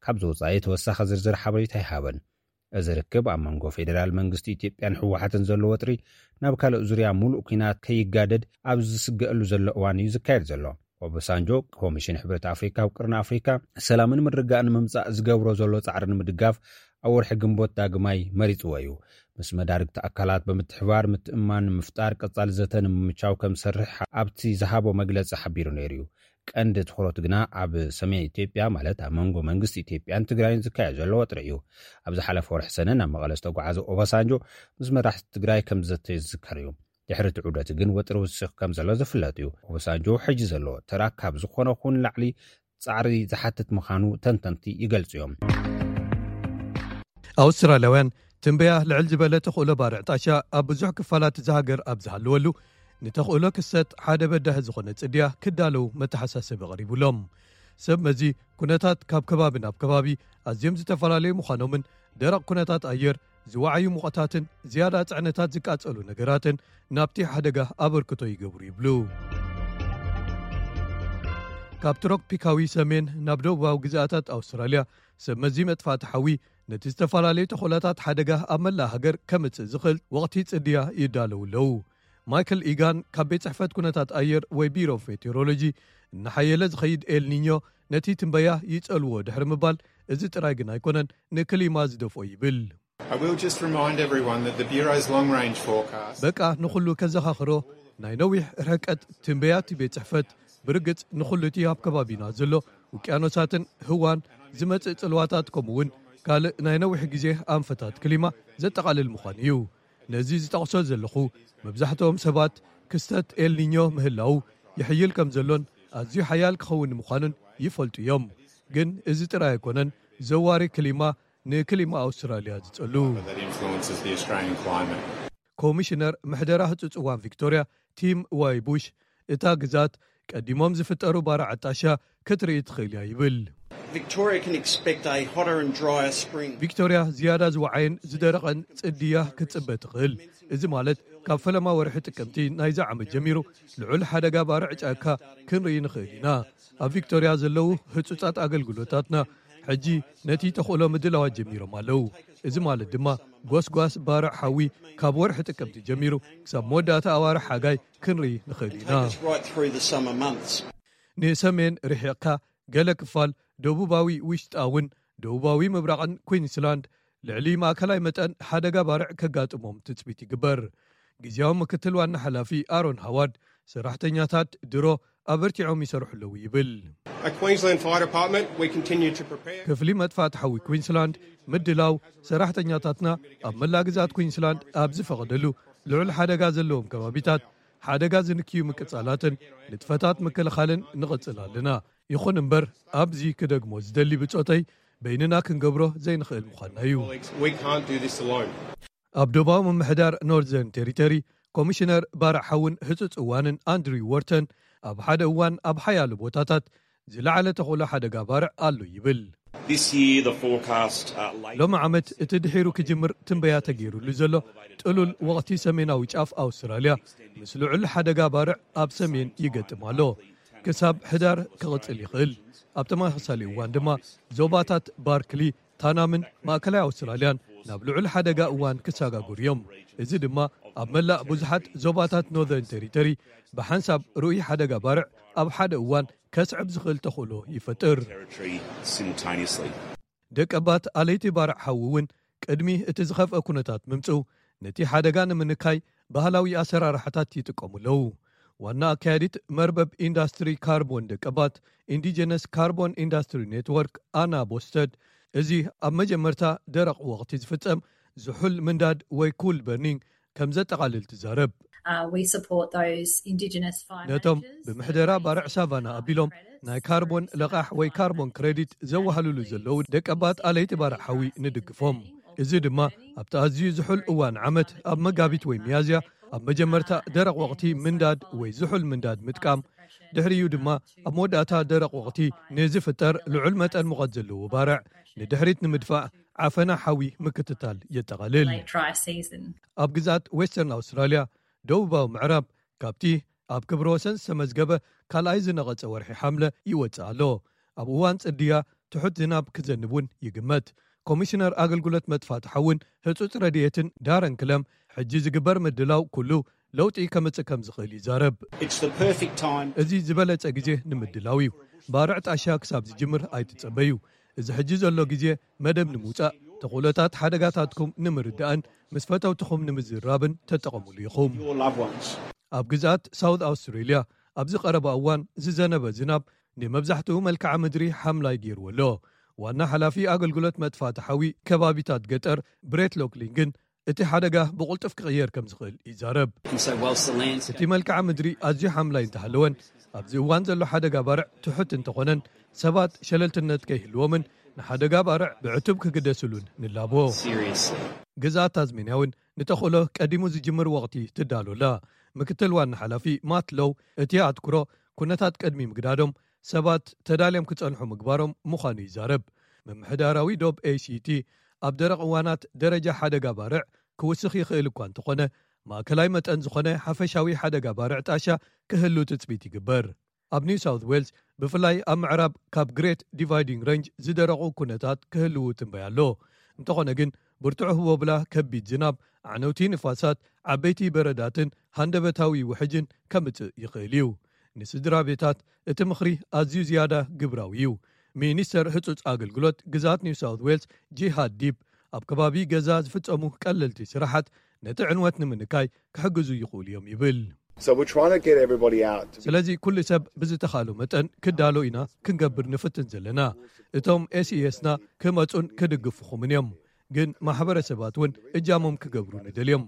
ካብ ዝወፃኢ ተወሳኺ ዝርዝር ሓበሬታ ኣይሃበን። እዚ ርክብ ኣብ መንጎ ፌዴራል መንግስቲ ኢትዮጵያን ህወሓትን ዘሎ ወጥሪ ናብ ካልእ ዙርያ ሙሉእ ኲናት ከይጋደድ ኣብ ዝስገኣሉ ዘሎ እዋን እዩ ዝካየድ ዘሎ። ኦባሳንጆ፣ ኮሚሽን ሕብረት ኣፍሪካ ኣብ ቅርኒ ኣፍሪካ ሰላምን ምርግጋእን ንምምፃእ ዝገብሮ ዘሎ ፃዕሪ ንምድጋፍ ኣብ ወርሒ ግንቦት ዳግማይ መሪፅዎ እዩ። ምስ መዳርግቲ ኣካላት ብምትሕባር ምትእምማን ንምፍጣር ቀፃሊ ዘተ ንምምቻው ከም ዝሰርሕ ኣብቲ ዝሃቦ መግለፂ ሓቢሩ ነይሩ እዩ። ቀንዲ ትኹረቱ ግና ኣብ ሰሜን ኢትዮጵያ፣ ማለት ኣብ መንጎ መንግስቲ ኢትዮጵያን ትግራይን ዝካየድ ዘሎ ወጥሪ እዩ። ኣብ ዝሓለፈ ወርሒ ሰነ ናብ መቐለ ዝተጓዓዘ ኦባሳንጆ፣ ምስ መራሕቲ ትግራይ ከም ዝዘተዩ ዝዝከር እዩ። ድሕሪ እቲ ዑደት ግን ወጥሪ ውስኽ ከም ዘሎ ዝፍለጥ እዩ። ኦባሳንጆ ሕጂ ዘለዎ ተራ ካብ ዝኾነ ኹን ላዕሊ ጻዕሪ ዝሓትት ምዃኑ ተንተንቲ ይገልጹ እዮም። ኣውስትራልያውያን ትንበያ ልዕል ዝበለ ተኽእሎ ባርዕ ጣሻ ኣብ ብዙሕ ክፋላት እዛ ሃገር ኣብ ዝሃለወሉ፣ ንተኽእሎ ክሰጥ ሓደ በዳሂ ዝኾነ ጽድያ ክዳለዉ መተሓሳሰቢ ቀሪቡሎም። ሰብ መዚ ኩነታት ካብ ከባቢ ናብ ከባቢ ኣዝዮም ዝተፈላለዩ ምዃኖምን፣ ደረቕ ኩነታት ኣየር፣ ዝወዓዩ ሙቐታትን ዝያዳ ጽዕነታት ዝቃጸሉ ነገራትን ናብቲ ሓደጋ ኣበርክቶ ይገብሩ ይብሉ። ካብ ትሮፒካዊ ሰሜን ናብ ደቡባዊ ግዝኣታት ኣውስትራልያ፣ ሰብ መዚ መጥፋእቲ ሓዊ ነቲ ዝተፈላለዩ ተኽእሎታት ሓደጋ ኣብ መላእ ሃገር ከምጽእ ዝኽእል ወቕቲ ጽድያ ይዳለዉ ኣለዉ። ማይክል ኢጋን ካብ ቤት ጽሕፈት ኩነታት ኣየር ወይ ቢሮ ሜቴሮሎጂ፣ እናሓየለ ዝኸይድ ኤልኒኞ ነቲ ትንበያ ይጸልዎ ድሕሪ ምባል፣ እዚ ጥራይ ግን ኣይኮነን ንክሊማ ዝደፍኦ ይብል። I will just remind everyone that the Bureau's long range forecast በቃ ንኹሉ ከዘኻኽሮ፣ ናይ ነዊሕ ርሕቀት ትንበያ እቲ ቤት ጽሕፈት ብርግጽ ንኹሉ እቲ ኣብ ከባቢና ዘሎ ውቅያኖሳትን ህዋን ዝመጽእ ጽልዋታት፣ ከምኡ እውን ካልእ ናይ ነዊሕ ግዜ ኣንፈታት ክሊማ ዘጠቓልል ምዃኑ እዩ። ነዚ ዝጠቕሶ ዘለኹ፣ መብዛሕትኦም ሰባት ክስተት ኤልኒኞ ምህላው ይሕይል ከም ዘሎን ኣዝዩ ሓያል ክኸውን ምዃኑን ይፈልጡ እዮም። ግን እዚ ጥራይ ኣይኮነን ዘዋሪ ክሊማ ንክሊማ ኣውስትራልያ ዝጸሉ። That influences the Australian climate. ኮሚሽነር ምሕደራ ህጹጽ እዋን ቪክቶርያ ቲም ዋይ ቡሽ፣ እታ ግዛት ቀዲሞም ዝፍጠሩ ባርዕ ጣሻ ክትርኢ ትኽእል እያ ይብል። Victoria can expect a hotter and drier spring. ቪክቶርያ ዝያዳ ዝወዓየን ዝደረቐን ጽድያ ክትጽበ ትኽእል። እዚ ማለት ካብ ፈለማ ወርሒ ጥቅምቲ ናይዚ ዓመት ጀሚሩ ልዑል ሓደጋ ባርዕ ጫካ ክንርኢ ንኽእል ኢና። ኣብ ቪክቶርያ ዘለዉ ህጹጻት ኣገልግሎታትና ሕጂ ነቲ ተኽእሎ ምድላዋት ጀሚሮም ኣለዉ። እዚ ማለት ድማ ጎስጓስ ባርዕ ሓዊ ካብ ወርሒ ጥቅምቲ ጀሚሩ ክሳብ መወዳእታ ኣዋርሕ ሓጋይ ክንርኢ ንኽእል ኢና። Take us right through the summer months. ንሰሜን ርሒቕካ፣ ገለ ክፋል ደቡባዊ ውሽጣውን ደቡባዊ ምብራቕን ኩዊንስላንድ ልዕሊ ማእከላይ መጠን ሓደጋ ባርዕ ከጋጥሞም ትጽቢት ይግበር። ግዝያዊ ምክትል ዋና ሓላፊ ኣሮን ሃዋርድ፣ ሰራሕተኛታት ድሮ ኣበርቲዖም ይሰርሑ ኣለዉ ይብል። At Queensland Fire Department, we continue to prepare. ክፍሊ መጥፋእቲ ሓዊ ኩዊንስላንድ ምድላው፣ ሰራሕተኛታትና ኣብ መላእ ግዝኣት ኩዊንስላንድ ኣብ ዝፈቐደሉ ልዑል ሓደጋ ዘለዎም ከባቢታት ሓደጋ ዝንክዩ ምቅጻላትን ንጥፈታት ምክልኻልን ንቕጽል ኣለና። ይኹን እምበር፣ ኣብዚ ክደግሞ ዝደሊ ብጾተይ፣ በይንና ክንገብሮ ዘይንኽእል ምዃንና እዩ። We can't do this alone. ኣብ ደቡባዊ ምምሕዳር ኖርዘርን ቴሪተሪ፣ ኮሚሽነር ባርዕ ሓውን ህጹጽ እዋንን ኣንድሪው ዎርተን፣ ኣብ ሓደ እዋን ኣብ ሓያሎ ቦታታት ዝለዓለ ተኽእሎ ሓደጋ ባርዕ ኣሎ ይብል። This year, the forecast uh, late ሎሚ ዓመት እቲ ድሒሩ ክጅምር ትንበያ ተገይሩሉ ዘሎ ጥሉል ወቕቲ ሰሜናዊ ጫፍ ኣውስትራልያ፣ ምስ ልዑል ሓደጋ ባርዕ ኣብ ሰሜን ይገጥም ኣሎ። ክሳብ ሕዳር ክቕጽል ይኽእል። ኣብ ተመሳሳሊ እዋን ድማ ዞባታት ባርክሊ፣ ታናምን ማእከላይ ኣውስትራልያን ናብ ልዑል ሓደጋ እዋን ክሰጋገሩ እዮም። እዚ ድማ ኣብ መላእ ብዙሓት ዞባታት ኖርዘርን ቴሪተሪ ብሓንሳብ ርኡይ ሓደጋ ባርዕ ኣብ ሓደ እዋን ከስዕብ ዝኽእል ተኽእሎ ይፈጥር። Territory simultaneously. ደቀባት ኣለይቲ ባርዕ ሓዊ እውን ቅድሚ እቲ ዝኸፍአ ኩነታት ምምጽኡ፣ ነቲ ሓደጋ ንምንካይ ባህላዊ ኣሰራርሓታት ይጥቀሙ ኣለዉ። ዋና ኣካያዲት መርበብ ኢንዳስትሪ ካርቦን ደቀባት፣ ኢንዲጀነስ ካርቦን ኢንዳስትሪ ኔትወርክ፣ ኣና ቦስተድ፣ እዚ ኣብ መጀመርታ ደረቕ ወቕቲ ዝፍጸም ዝሑል ምንዳድ ወይ cool burning ከም ዘጠቓልል ትዛረብ። ነቶም ብምሕደራ ባርዕ ሳቫና ኣቢሎም ናይ ካርቦን ለቓሕ ወይ ካርቦን ክረዲት ዘወሃሉሉ ዘለዉ ደቀባት ኣለይቲ ባርዕ ሓዊ ንድግፎም። እዚ ድማ ኣብቲ ኣዝዩ ዝሑል እዋን ዓመት ኣብ መጋቢት ወይ ሚያዝያ ኣብ መጀመርታ ደረቕ ወቕቲ ምንዳድ ወይ ዝሑል ምንዳድ ምጥቃም፣ ድሕሪኡ ድማ ኣብ መወዳእታ ደረቕ ወቕቲ ንዝፍጠር ልዑል መጠን ሙቐት ዘለዎ ባርዕ ንድሕሪት ንምድፋእ ዓፈና ሓዊ ምክትታል የጠቓልል። ኣብ ግዛት ዌስተርን ኣውስትራልያ ደቡባዊ ምዕራብ ካብቲ ኣብ ክብረ ወሰን ዝተመዝገበ ካልኣይ ዝነቐጸ ወርሒ ሓምለ ይወጽእ ኣሎ። ኣብ እዋን ጽድያ ትሑት ዝናብ ክዘንብ እውን ይግመት። ኮሚሽነር ኣገልግሎት መጥፋእቲ ሓውን ህጹጽ ረድኤትን ዳረን ክለም ሕጂ ዝግበር ምድላው ኩሉ ለውጢ ከምጽእ ከም ዝኽእል ይዛረብ። እዚ ዝበለጸ ግዜ ንምድላው እዩ። ባርዕ ጣሻ ክሳብ ዝጅምር ኣይትጸበዩ። እዚ ሕጂ ዘሎ ግዜ መደብ ንምውጻእ፣ ተኽእሎታት ሓደጋታትኩም ንምርዳእን ምስ ፈተውትኹም ንምዝራብን ተጠቐሙሉ ኢኹም። ኣብ ግዝኣት ሳውት ኣውስትሬልያ ኣብዚ ቀረባ እዋን ዝዘነበ ዝናብ ንመብዛሕትኡ መልክዓ ምድሪ ሓምላይ ገይርዎ ኣሎ። ዋና ሓላፊ ኣገልግሎት መጥፋእቲ ሓዊ ከባቢታት ገጠር ብሬት ሎክሊን ግን እቲ ሓደጋ ብቕልጡፍ ክቕየር ከም ዝኽእል ይዛረብ። እቲ መልክዓ ምድሪ ኣዝዩ ሓምላይ እንተሃለወን ኣብዚ እዋን ዘሎ ሓደጋ ባርዕ ትሑት እንተኾነን ሰባት ሸለልትነት ከይህልዎምን ንሓደጋ ባርዕ ብዕቱብ ክግደስሉን ንላቦ። ግዝኣት ታዝሜንያ እውን ንተኽእሎ ቀዲሙ ዝጅምር ወቕቲ ትዳሎላ። ምክትል ዋና ሓላፊ ማት ሎው እቲ ኣትኩሮ ኩነታት ቅድሚ ምግዳዶም ሰባት ተዳልዮም ክጸንሑ ምግባሮም ምዃኑ ይዛረብ። ምምሕዳራዊ ዶብ ኤሲቲ ኣብ ደረቕ እዋናት ደረጃ ሓደጋ ባርዕ ክውስኽ ይኽእል እኳ እንተኾነ ማእከላይ መጠን ዝኾነ ሓፈሻዊ ሓደጋ ባርዕ ጣሻ ክህሉ ትጽቢት ይግበር። ኣብ ኒው ሳውት ዌልስ ብፍላይ ኣብ ምዕራብ ካብ ግሬት ዲቫይዲንግ ረንጅ ዝደረቑ ኩነታት ክህልዉ ትንበያ ኣሎ። እንተኾነ ግን ብርቱዕ ህቦብላ ከቢድ ዝናብ፣ ኣዕነውቲ ንፋሳት፣ ዓበይቲ በረዳትን ሃንደበታዊ ውሕጅን ከምጽእ ይኽእል እዩ። ንስድራ ቤታት እቲ ምኽሪ ኣዝዩ ዝያዳ ግብራዊ እዩ። ሚኒስተር ህጹጽ ኣገልግሎት ግዛት ኒው ሳውት ዌልስ ጂሃድ ዲፕ ኣብ ከባቢ ገዛ ዝፍጸሙ ቀለልቲ ስራሓት ነቲ ዕንወት ንምንካይ ክሕግዙ ይኽእሉ እዮም ይብል። ስለዚ ኩሉ ሰብ ብዝተኻእሎ መጠን ክዳሎ ኢና ክንገብር ንፍትን ዘለና። እቶም ኤስኢኤስና ክመጹን ክድግፉኹምን እዮም። ግን ማሕበረሰባት እውን እጃሞም ክገብሩ ንደልዮም።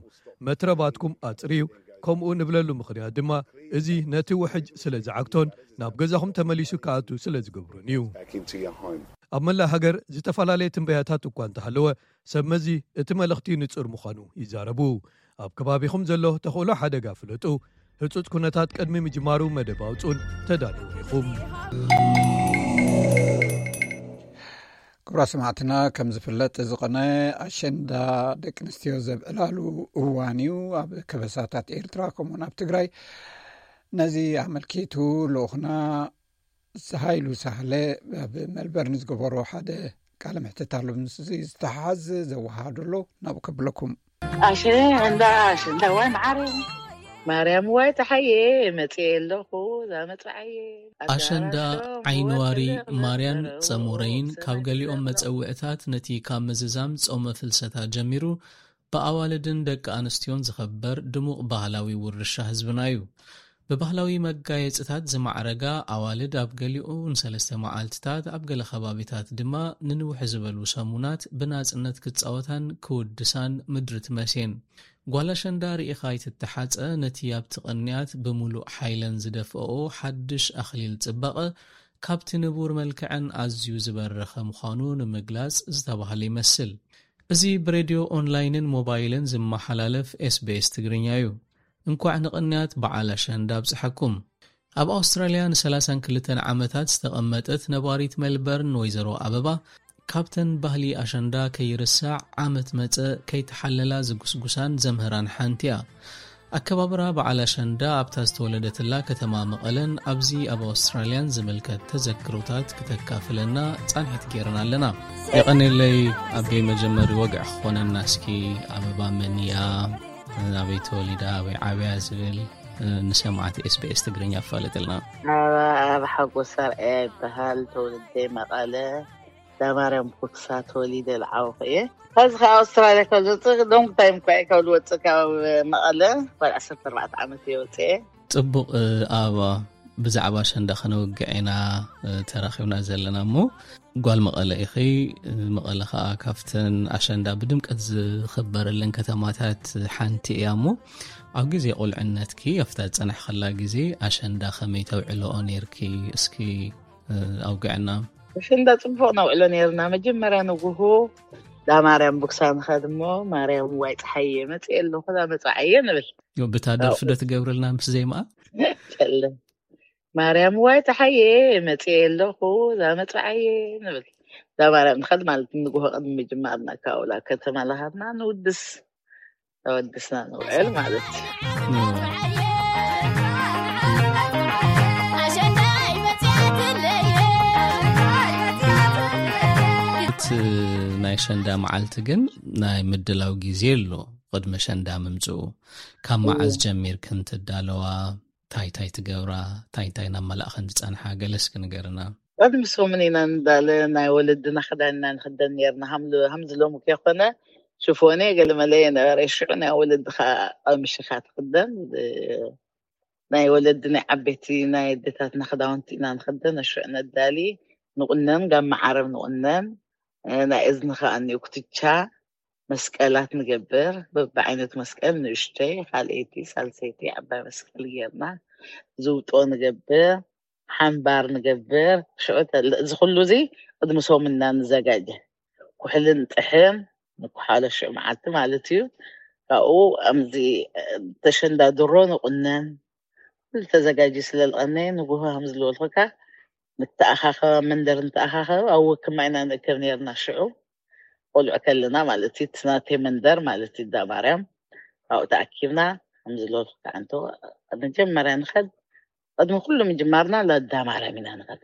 መትረባትኩም ኣጽርዩ፣ ከምኡ ንብለሉ ምኽንያት ድማ እዚ ነቲ ውሕጅ ስለ ዝዓግቶን ናብ ገዛኹም ተመሊሱ ክኣቱ ስለ ዝገብሮን እዩ። ኣብ መላእ ሃገር ዝተፈላለየ ትንበያታት እኳ እንተሃለወ ሰብ መዚ እቲ መልእኽቲ ንጹር ምዃኑ ይዛረቡ። ኣብ ከባቢኹም ዘሎ ተኽእሎ ሓደጋ ፍለጡ። ህጹጽ ኩነታት ቅድሚ ምጅማሩ መደብ ኣውጹን ተዳለውን ኢኹም። ክቡራት ሰማዕትና፣ ከም ዝፍለጥ ዝቐነ ኣሸንዳ ደቂ ኣንስትዮ ዘብዕላሉ እዋን እዩ። ኣብ ከበሳታት ኤርትራ ከምኡውን ኣብ ትግራይ ነዚ ኣመልኪቱ ልኡኽና ሃይሉ ሳህለ ኣብ መልበርን ዝገበሮ ሓደ ቃለ ምሕትት ኣሎ። ምስ ዝተሓዝ ዘወሃሃዱ ኣሎ ናብኡ ከብለኩም። ኣሸንዳ ኣሸንዳ ዋይ መዓረ ማርያም ዋይ ፀሓየ መፅየ ኣለኹ ዛመፅዓየ ኣሸንዳ ዓይንዋሪ ማርያን ፀሙረይን ካብ ገሊኦም መፀውዕታት ነቲ ካብ ምዝዛም ጾመ ፍልሰታ ጀሚሩ ብኣዋልድን ደቂ ኣንስትዮን ዝኸበር ድሙቕ ባህላዊ ውርሻ ህዝብና እዩ። ብባህላዊ መጋየጽታት ዝማዕረጋ ኣዋልድ ኣብ ገሊኡ ንሰለስተ መዓልትታት ኣብ ገለ ከባቢታት ድማ ንንውሕ ዝበሉ ሰሙናት ብናጽነት ክጻወታን ክውድሳን ምድሪ ትመስየን። ጓል ኣሸንዳ ርኢኻ ኣይትተሓጸ ነቲ ኣብቲ ቅንያት ብምሉእ ሓይለን ዝደፍኦ ሓድሽ ኣኽሊል ጽባቐ ካብቲ ንቡር መልክዐን ኣዝዩ ዝበረኸ ምዃኑ ንምግላጽ ዝተባህለ ይመስል። እዚ ብሬድዮ ኦንላይንን ሞባይልን ዝመሓላለፍ ኤስቢኤስ ትግርኛ እዩ። እንኳዕ ንቕንያት በዓል ኣሸንዳ ኣብጽሓኩም። ኣብ ኣውስትራልያ ንሰላሳን ክልተን ዓመታት ዝተቐመጠት ነባሪት ሜልበርን ወይዘሮ ኣበባ ካብተን ባህሊ ኣሸንዳ ከይርሳዕ ዓመት መጸ ከይተሓለላ ዝጉስጉሳን ዘምህራን ሓንቲ እያ። ኣከባብራ በዓል ኣሸንዳ ኣብታ ዝተወለደትላ ከተማ መቐለን ኣብዚ ኣብ ኣውስትራልያን ዝምልከት ተዘክሮታት ክተካፍለና ጻንሒት ጌርና ኣለና። የቐኔለይ ኣቤ፣ መጀመሪ ወግዒ ክኾነና እስኪ ኣበባ መን እያ፣ ኣበይ ተወሊዳ፣ ኣበይ ዓብያ ዝብል ንሰማዕቲ ኤስቢኤስ ትግርኛ ኣፋልጥልና። ኣበባ ሓጎስ ኣርኣያ ይበሃል። ተወልደ መቐለ፣ ዳማርያም ኩክሳ ተወሊደ ዝዓበኹ እየ። ኸዚ ካብ ኣውስትራልያ ካብ ዝወፅእ ሎንግ ታይም እኳ እየ ካብ ዝወፅእ ካብ መቐለ፣ ጓል ዓሰርተ ኣርባዕተ ዓመት እየ ወፅአ። ፅቡቕ ኣበባ፣ ብዛዕባ ኣሸንዳ ከነውግዕ ኢና ተራኺብና ዘለና። እሞ ጓል መቐለ ኢኺ። መቐለ ከዓ ካብተን ኣሸንዳ ብድምቀት ዝኽበረለን ከተማታት ሓንቲ እያ። እሞ ኣብ ግዜ ቁልዕነትኪ ኣብታ ዝፀናሕኸላ ግዜ ኣሸንዳ ከመይ ተውዕልኦ ነይርኪ? እስኪ ኣውግዕና። ኣሸንዳ ፅቡቅ ነውዕሎ ነይርና። መጀመርያ ንጉሁ ዳ ማርያም ቡክሳ ንኸድ እሞ፣ ማርያም ዋይ ፀሓየ መፅእ ኣለኹ ዳ መፅዓየ ንብል። ብታ ደርፊ ዶ ትገብርልና ምስ ዜማኣ? ጨለም ማርያም ዋይ ፀሓየ መፅእ ኣለኹ ዳ መፅዓየ ንብል። ዳ ማርያም ንኸድ ማለት ንጉሆ ቅድሚ ምጅማርና ካብኡ ላ ከተማ ለሃብና ንውድስ ተወድስና ንውዕል ማለት እዩ። እቲ ናይ ሸንዳ መዓልቲ ግን ናይ ምድላው ግዜ ኣሎ። ቅድሚ ሸንዳ ምምፅኡ ካብ መዓዝ ጀሚርክን ትዳለዋ? ታይ ታይ ትገብራ? ታይ ታይ ናብ መላእኸን ዝፀንሓ? ገለስ ክንገርና። ቅድሚ ሰሙን ኢና ንዳለ። ናይ ወለድና ክዳንና ንክደን ነርና። ሃምዚ ሎሚ ከይኮነ ሽፎኔ ገለመለ የነበረ። ሽዑ ናይ ወለዲ ከዓ ቀምሽኻ ትክደን። ናይ ወለዲ ናይ ዓበይቲ ናይ ኣዴታትና ክዳውንቲ ኢና ንክደን። ሽዑ ነዳሊ ንቁነን፣ ጋማ ዓረብ ንቁነን። ናይ እዝኒ ከዓ እኒኡ ኩትቻ መስቀላት ንገብር። በብዓይነቱ መስቀል ንእሽተይ፣ ካልኣይቲ፣ ሳልሰይቲ ዓባይ መስቀል ጌርና ዝውጦ ንገብር። ሓምባር ንገብር። ሽዑ ተለ-፣ እዚ ኩሉ እዚ ቅድሚ ሰሙን ኢና ንዘጋጀ። ኩሕሊ ንጥሕን ንኩሓሎ ሽዑ መዓልቲ ማለት እዩ። ካብኡ ኣምዚ ተሸንዳ ድሮ ንቁነን። ኩሉ ተዘጋጅዩ ስለ ዝቐነየ ንጉሆ ከም ዝበልኩካ ንተኣኻኸብ፣ መንደር ንተኣኻኸብ ኣብ ወክማ ኢና ንእከብ ነርና። ሽዑ ቆልዑ ከለና ማለት እዩ። እቲ ናተይ መንደር ማለት እዩ ዳ ማርያም። ካብኡ ተኣኪብና ከም ዝበልኩካ እንተ መጀመርያ ንኸድ ቅድሚ ኩሉ ምጅማርና ላዳ ማርያም ኢና ንኸድ።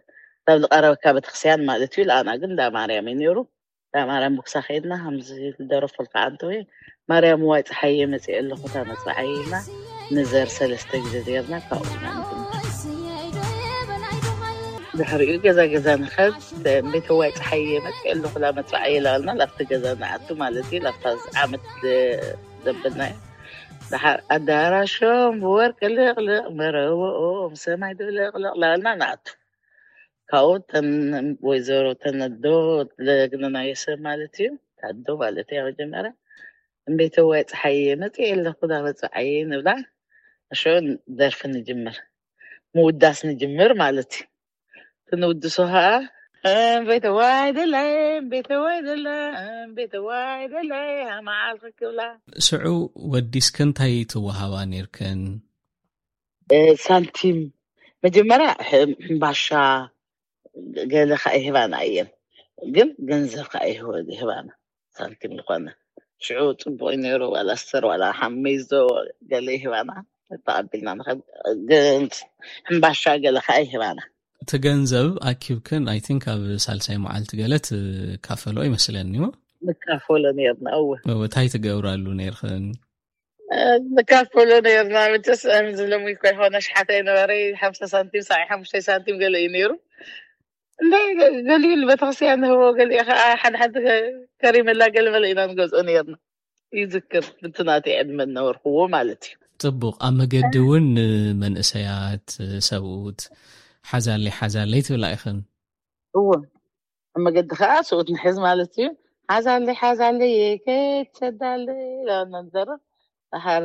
ካብ ዝቐረበካ ቤተክርስትያን ማለት እዩ። ለኣና ግን ዳ ማርያም እዩ ነይሩ። ዳ ማርያም ብኩሳ ከይድና ከምዚ ዝደረፈልካ ኣንተ ወይ ማርያም ዋይ ፀሓየ መፅእ ኣለኹ እታ መፅዓይ ኢልና ንዘር ሰለስተ ግዜ ዜርና ካብኡ ኢና ንጅምር። ድሕሪኡ ገዛ ገዛ ንኸድ ቤተ ዋይ ፀሓየ መፅእ ኣለኹ እታ መፅዓይ ኢላልና ላብቲ ገዛ ንኣቱ ማለት እዩ። ላብታ ዓመት ዘበልና እዩ። ድሓር ኣዳራሾም ብወርቂ ልቕልቕ መረቦኦም ሰማይ ድብልቕልቕ ላልና ንኣቱ። ካብኡ ተን ወይዘሮ ተነዶ ለግነናዮ ሰብ ማለት እዩ። ታዶ ማለት እያ መጀመርያ እምቤተዋይ ፀሓየ መፅእ ኣለኹ ዳ መፅዓየ ንብላ። እሾ ደርፊ ንጅምር ምውዳስ ንጅምር ማለት እዩ። ክንውድሶ ከዓ እምቤተዋይ ደላይ እምቤተዋይ ደላ እምቤተዋይ ደላይ ሃማዓል ክክብላ። ሽዑ ወዲስክን እንታይ ትወሃባ ነርክን? ሳንቲም መጀመርያ ሕምባሻ ገለ ከዓ ይህባና እየን። ግን ገንዘብ ከዓ ይህባና ሳንቲም ዝኾነ ሽዑ ፅቡቅ ነይሩ። ዋላ ስተር ዋላ ሓሜዞ ገለ ይህባና ተቐቢልና ንኸድ። ግን ሕምባሻ ገለ ከዓ ይህባና። እቲ ገንዘብ ኣኪብክን ኣይ ቲንክ ኣብ ሳልሳይ መዓልቲ ገለ ትካፈሎ ይመስለኒ። ንካፈሎ ነርና። እወ። እንታይ ትገብራሉ ነርክን? ንካፈሎ ነርና። መቸስ ዝለሙ ይኮ ይኮነ ሽሓተ ይነበረ ሓምሳ ሳንቲም ሳይ ሓሙሽተ ሳንቲም ገለ እዩ ነይሩ። እንደ ገሊኡ ንቤተክርስትያን ንህቦ ገሊኡ ከዓ ሓደ ሓደ ከሪመላ ገለ መለ ኢና ንገዝኦ ነርና። ይዝክር ብቲ ናተይ ዕድመ ነበርክዎ ማለት እዩ። ፅቡቅ ኣብ መገዲ እውን ንመንእሰያት ሰብኡት ሓዛለይ ሓዛለይ ትብላ ኢኽን? እዎ ኣብ መገዲ ከዓ ስኡት ንሕዝ ማለት እዩ። ሓዛለይ ሓዛለይ ከይትሰዳለይ ኢላና ንዘርብ። ድሓር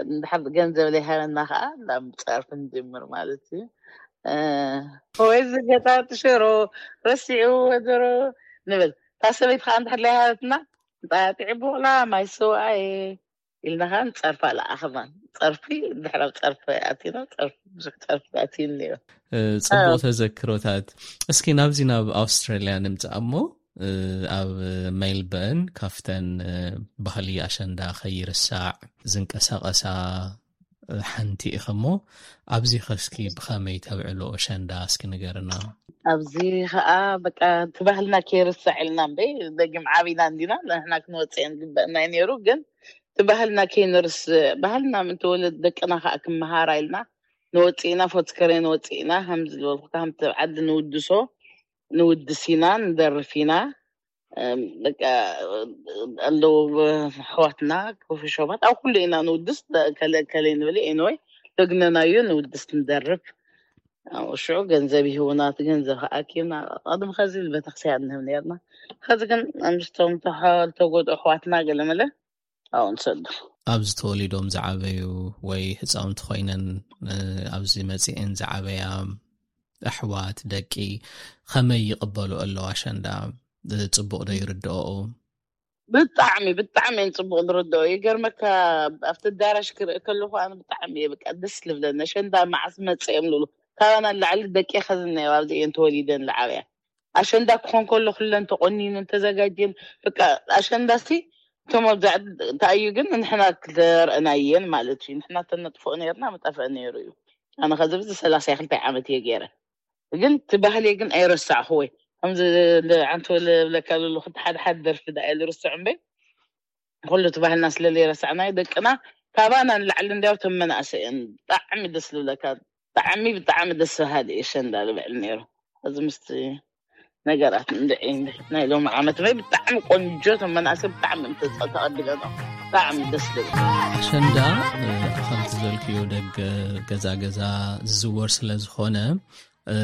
እንድሕር ገንዘብ ዘይሃበና ከዓ ናብ ፀርፊ ንጅምር ማለት እዩ። ወይ ዝገጣጥ ሽሮ ረሲዑ ወደሮ ንብል። እታ ሰበይቲ ከዓ እንድሕር ዘይሃበትና ጣጢዕ ቡቕላ ማይ ሰውኣየ ኢልና ከዓ ንፀርፋ ለኣኽና። ፀርፊ ድሕራብ ፀርፊ ኣቲና ፀርፊ ብዙሕ ፀርፊ ኣትዩ እኒኦ። ጽቡቕ ተዘክሮታት። እስኪ ናብዚ ናብ ኣውስትራልያ ንምጻእ እሞ ኣብ ሜልበርን ካብተን ባህሊ ኣሸንዳ ከይርሳዕ ዝንቀሳቐሳ ሓንቲ ኢኸ እሞ ኣብዚ ኸስኪ ብኸመይ ተብዕሎ ኣሸንዳ እስኪ ንገርና። ኣብዚ ኸዓ በቃ እቲ ባህልና ከይርሳዕ ኢልና እምበይ ደጊም ዓቢና እንዲና ንሕና ክንወፅእ ንግበእና እዩ ነይሩ። ግን እቲ ባህልና ከይንርስ ባህልና ምንተወለድ ደቅና ከዓ ክመሃራ ኢልና ንወፅእና ፎትከሬ ንወፅእና ከምዚ ዝበልኩ ከምቲ ዓዲ ንውድሶ ንውድስ ኢና ንደርፍ ኢና። በቃ ኣለዉ ኣሕዋትና ኮፊ ሾባት ኣብ ኩሉ ኢና ንውድስ። ከለ ከለ ንብል ኤንወይ ደግነናዮ ንውድስ ንደርፍ። ኣብኡ ሽዑ ገንዘብ ይህቡና፣ እቲ ገንዘብ ከዓ ኣኪብና ቅድሚ ከዚ ቤተክርስትያን ንህብ ነርና። ከዚ ግን ምስቶም ተሓ-፣ ዝተጎድኡ ኣሕዋትና ገለመለ ኣብኡ ንሰዱ። ኣብዚ ተወሊዶም ዝዓበዩ ወይ ህፃውንቲ ኮይነን፣ እ፣ ኣብዚ መፂኤን ዝዓበያ ኣሕዋት፣ ደቂ ከመይ ይቕበሉ ኣለዉ ኣሸንዳ? እ፣ ፅቡቕ ዶ ይርድኦ? ብጣዕሚ፣ ብጣዕሚ እየን ፅቡቕ ዝርድኦ። ይገርመካ፣ ኣብቲ ኣዳራሽ ክርኢ ከለኹ ኣነ ብጣዕሚ እየ በቃ ደስ ልብለኒ። ኣሸንዳ መዓስ መፀ እዮም ልብሉ። ካባና ንላዕሊ ደቂ ከዝነዮ ኣብዚ እየን ተወሊደን ዝዓበያ። ኣሸንዳ ክኾን ከሎ ኩለን ተቆኒነን ተዘጋጅየን። በቃ ኣሸንዳ ሲ እቶም ኣብዛ ተኣዩ ግን ንሕና ክረእናየን ማለት እዩ። ንሕና ተነጥፍኦ ነርና፣ ምጠፍአ ነይሩ እዩ። ኣነ ከዚ ብዚ ሰላሳ ክልተ ዓመት እየ ገይረ። ግን እቲ ባህሊ ግን ኣይረሳዕኹ ወይ ከምዚ ዓንቶ ልብለካ ለሉ ክልተ ሓደ ሓደ ደርፊ ዳ እየ ዝርስዕ እምበይ፣ ኩሉ እቲ ባህልና ስለ ዘይረሳዕናዮ ደቅና ካባና ንላዕሊ እንዲያው ተመናእሰ እየን። ብጣዕሚ ደስ ልብለካ። ብጣዕሚ፣ ብጣዕሚ ደስ በሃሊ እዩ ኣሸንዳ ልብዕል ነይሩ። እዚ ምስቲ ነገራት እንድዒ ናይ ሎሚ ዓመት ወይ ብጣዕሚ ቆንጆ ተመናእሰ ብጣዕሚ እዮም ተጸ-፣ ተቐቢለኖ። ብጣዕሚ ደስ ልብል። ኣሸንዳ፣ እ፣ ከምቲ ዘልክዮ ደገ ገዛ ገዛ ዝዝወር ስለ ዝኾነ፣ እ፣